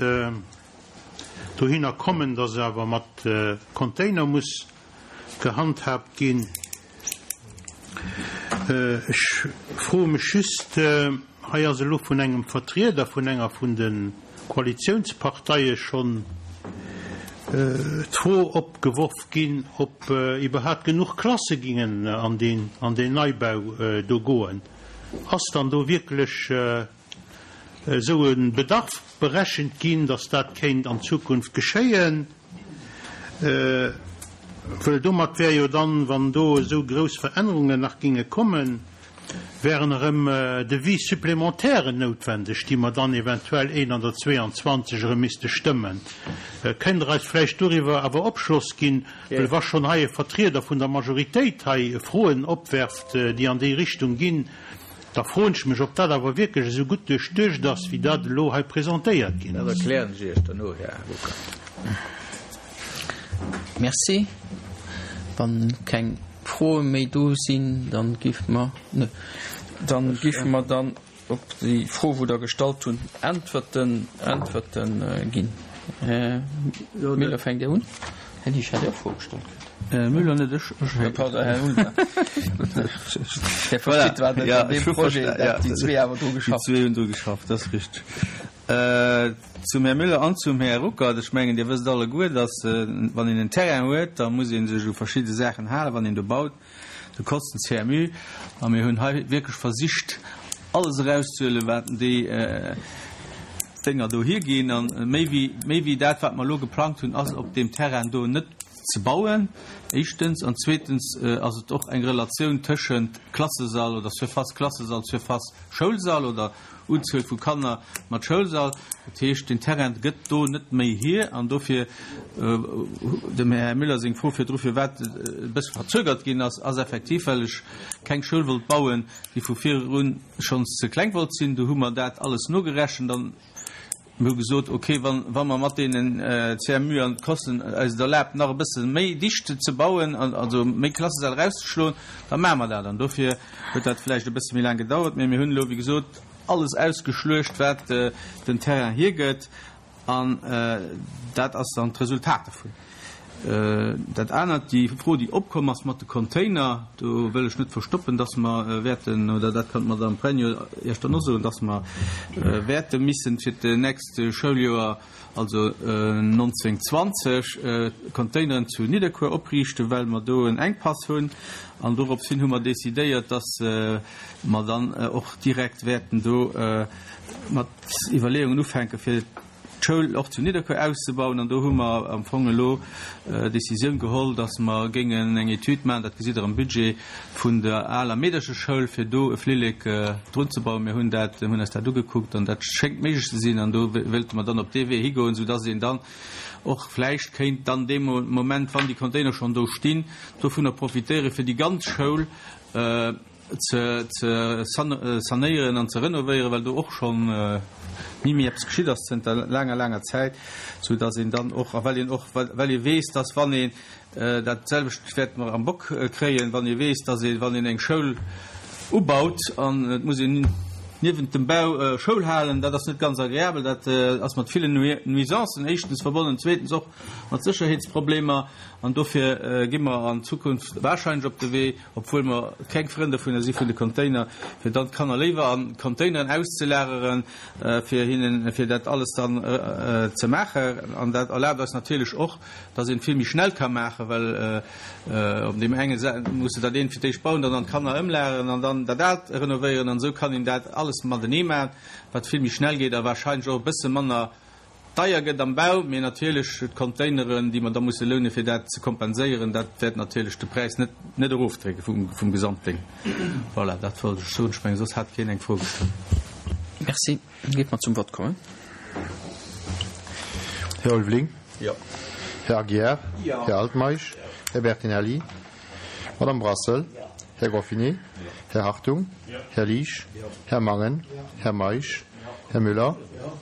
dohinner kommen, dass awer mat Container muss gehandhaabt ginn. Ech froe mech just, hei ass elo vun engem Vertrieder vun enger vun de Koalitiounsparteie schonn d'Fro opgeworf ginn, ob iwwerhaapt genuch Klasse gingen an deen an deen Neibau do goen. Ass dann do wierklech esou e Bedarf berechent ginn, dass dat kéint an Zukunft geschéien? Well domat wär jo dann, wann do esou grouss Verännerungen nach ginge kommen, wären erëm Devis supplémentairen noutwendeg, déi mer dann eventuell een an der zwee an zwanzeg erëm misste stëmmen. Kënnt Der eis vläicht doriwwer awer Opschloss ginn, well wa schonn hei e Vertrieder vun der Majoritéit hei Froen opwerft, déi an déi Richtung ginn, da froen ech mech, ob dat awer wierklech esou gutt duerchduecht ass, wéi dat elo hei presentéiert ginn Dat ass. erklären ech Iech derno, Här Ruckert. Merci. Wann keng Froe méi do sinn, dann géife mer, ne, dann géife mer dann op déi Fro, wou Der gestallt hunn, Äntwerten, Äntwerten ginn. Här Müller, fänkt Dir un? Här Liesch hat jo och Froe gestallt kritt. Här Müller net, ech, ech. Pardon, Här Ulmer. Här versteet, wat Ja, an deem ech hu Projet, versta- dat ja, déi zwee awer dru déi geschafft zwee hunn dru geschafft, dat ass richteg. Zum Här Müller an zum Här Ruckert, Ech mengen, Dir wësst alleguer, dass, wann een en Terrain huet, da muss ee sech u verschidde Saachen halen, wann een do baut. Do kost den C M U. A mir hunn hei wierklech versicht, alles erauszehuelen, wat déi Dénger do hierginn. A méi wéi, méi wéi dat, wat mer elo geplangt hunn, ass op deem Terrain do net ze bauen, éischtens. An zweetens ass et och eng Relatioun tëschent Klassesall oder Surface Klassesall, Surface Schoulsall oder Unzuel vu Kanner mat Schoulsall. Dat heescht, den Terrain gëtt do net méi hier. An dofir, dem Här Müller seng Fro virdru, firwat et e bësse verzögert ginn ass, ass effektiv, well ech keng Schoul wollt bauen, déi vu virerun schonns ze kleng wollt sinn. Do hu mer dat alles nogerechent an mir hu gesot, okay, wann, wa mer mat deenen C M U an d'Kosten eis et erlaabt, nach e bësse méi dicht ze bauen, also méi Klassesäll erauszeschloen, da maache mer dat. An dofir huet dat vläicht e bësse méi laang gedauert. Mee mir hunn elo, wéi gesot, alles ausgeschluecht, wat den Terrain hiergëtt, an dat ass dann d'Resultat dovun. Dat anert, déi Fro, déi opkomm ass mat de Container, do wëll ech net verstoppen, dass mer wäerten, oder dat kann d'Madame Pregno Iech dann och soen, dass mer wäerte missen fir d'nächst Schouljoer, also neunzehn zwanzeg, Containeren zu Nidderkuer opriichten, well mer do en Enkpass hunn. An dorops hin hu mer decidéiert, dass mer dann och direkt wäerten do mat Iwwerleeungen ufänke fir d'Schoul och zu Nidderkuer auszebauen. An do hu mer am Fong elo d'Decisioun geholl, dass mer géingen eng Etüd maachen, dat gesitt Der am Budget, vun der aler Meedercheschoul, fir do e Flillek drun ze bauen. Mir hunn dat, hunn eis dat ugekuckt an dat schéngt méiglech ze sinn. An do wéilte mer dann op dee Wee higoen, soudass een dann och vläicht kéint dann dee Moment, wann déi Container schonn do stinn, dovunner profitéieren, fir déi ganz Schoul ze ze sanéieren an ze renovéieren, well do och schonn ni méi eppes geschitt ass zënter laanger, laanger Zäit, sou dass een dann och, a well een och, well ee weess, dass wann een, dat selwecht wäerte mer am Bock kréien, wann ee weess, dass ee wann een eng Schoul ubaut an et muss een niewent dem Bau Schoul halen. Dat ass net ganz agreabel, dat ass mat villen Nuisancen éischtens verbonnen, zweetens och mat Sécherheetsproblemer. An dofir gi mer an Zukunft warscheinlech op de Wee, obwuel mer keng Frënn dovunner si vun de Container, fir dann d'Kanner léiwer a Containeren auszelageren, fir hinnen, fir dat alles dann ze maachen. An dat erlaabt eis natierlech och, dass een vill méi schnell ka maachen, well op deem enge muss de dat eent fir d'éischt bauen, dann an d'Kanner ëmlageren an dann dat aalt renovéieren. An esou kann een dat alles matenee maachen, wat vill méi schnell geet a warscheinlech och e bësse manner deier gëtt am Bau. Mee natierlech d'Containeren, déi mer da musse lounen, fir dat ze kompenséieren, dat wäert natierlech de Präis net net erofdrécke vum vum Gesamtdéng. Voilà, dat wollt ech soen. Ech mengen, soss hat keen eng Fro gestallt. Merci. Géife mer zum Vott kommen. Här Ulveling. Jo. Här Aguiar. Jo. Här Altmeisch. Här Bertinelli. Madame Brassel. Här Goffinet. Här Hartung. Här Liesch. Här Mangen. Här Meisch. Här Müller.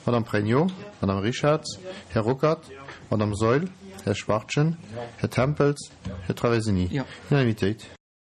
Madame Pregno. Madame Richarz. Här Ruckert. Madame Saeul. Här Schwachtgen. Här Tempels. Här Traversini. Jo. Unanimitéit.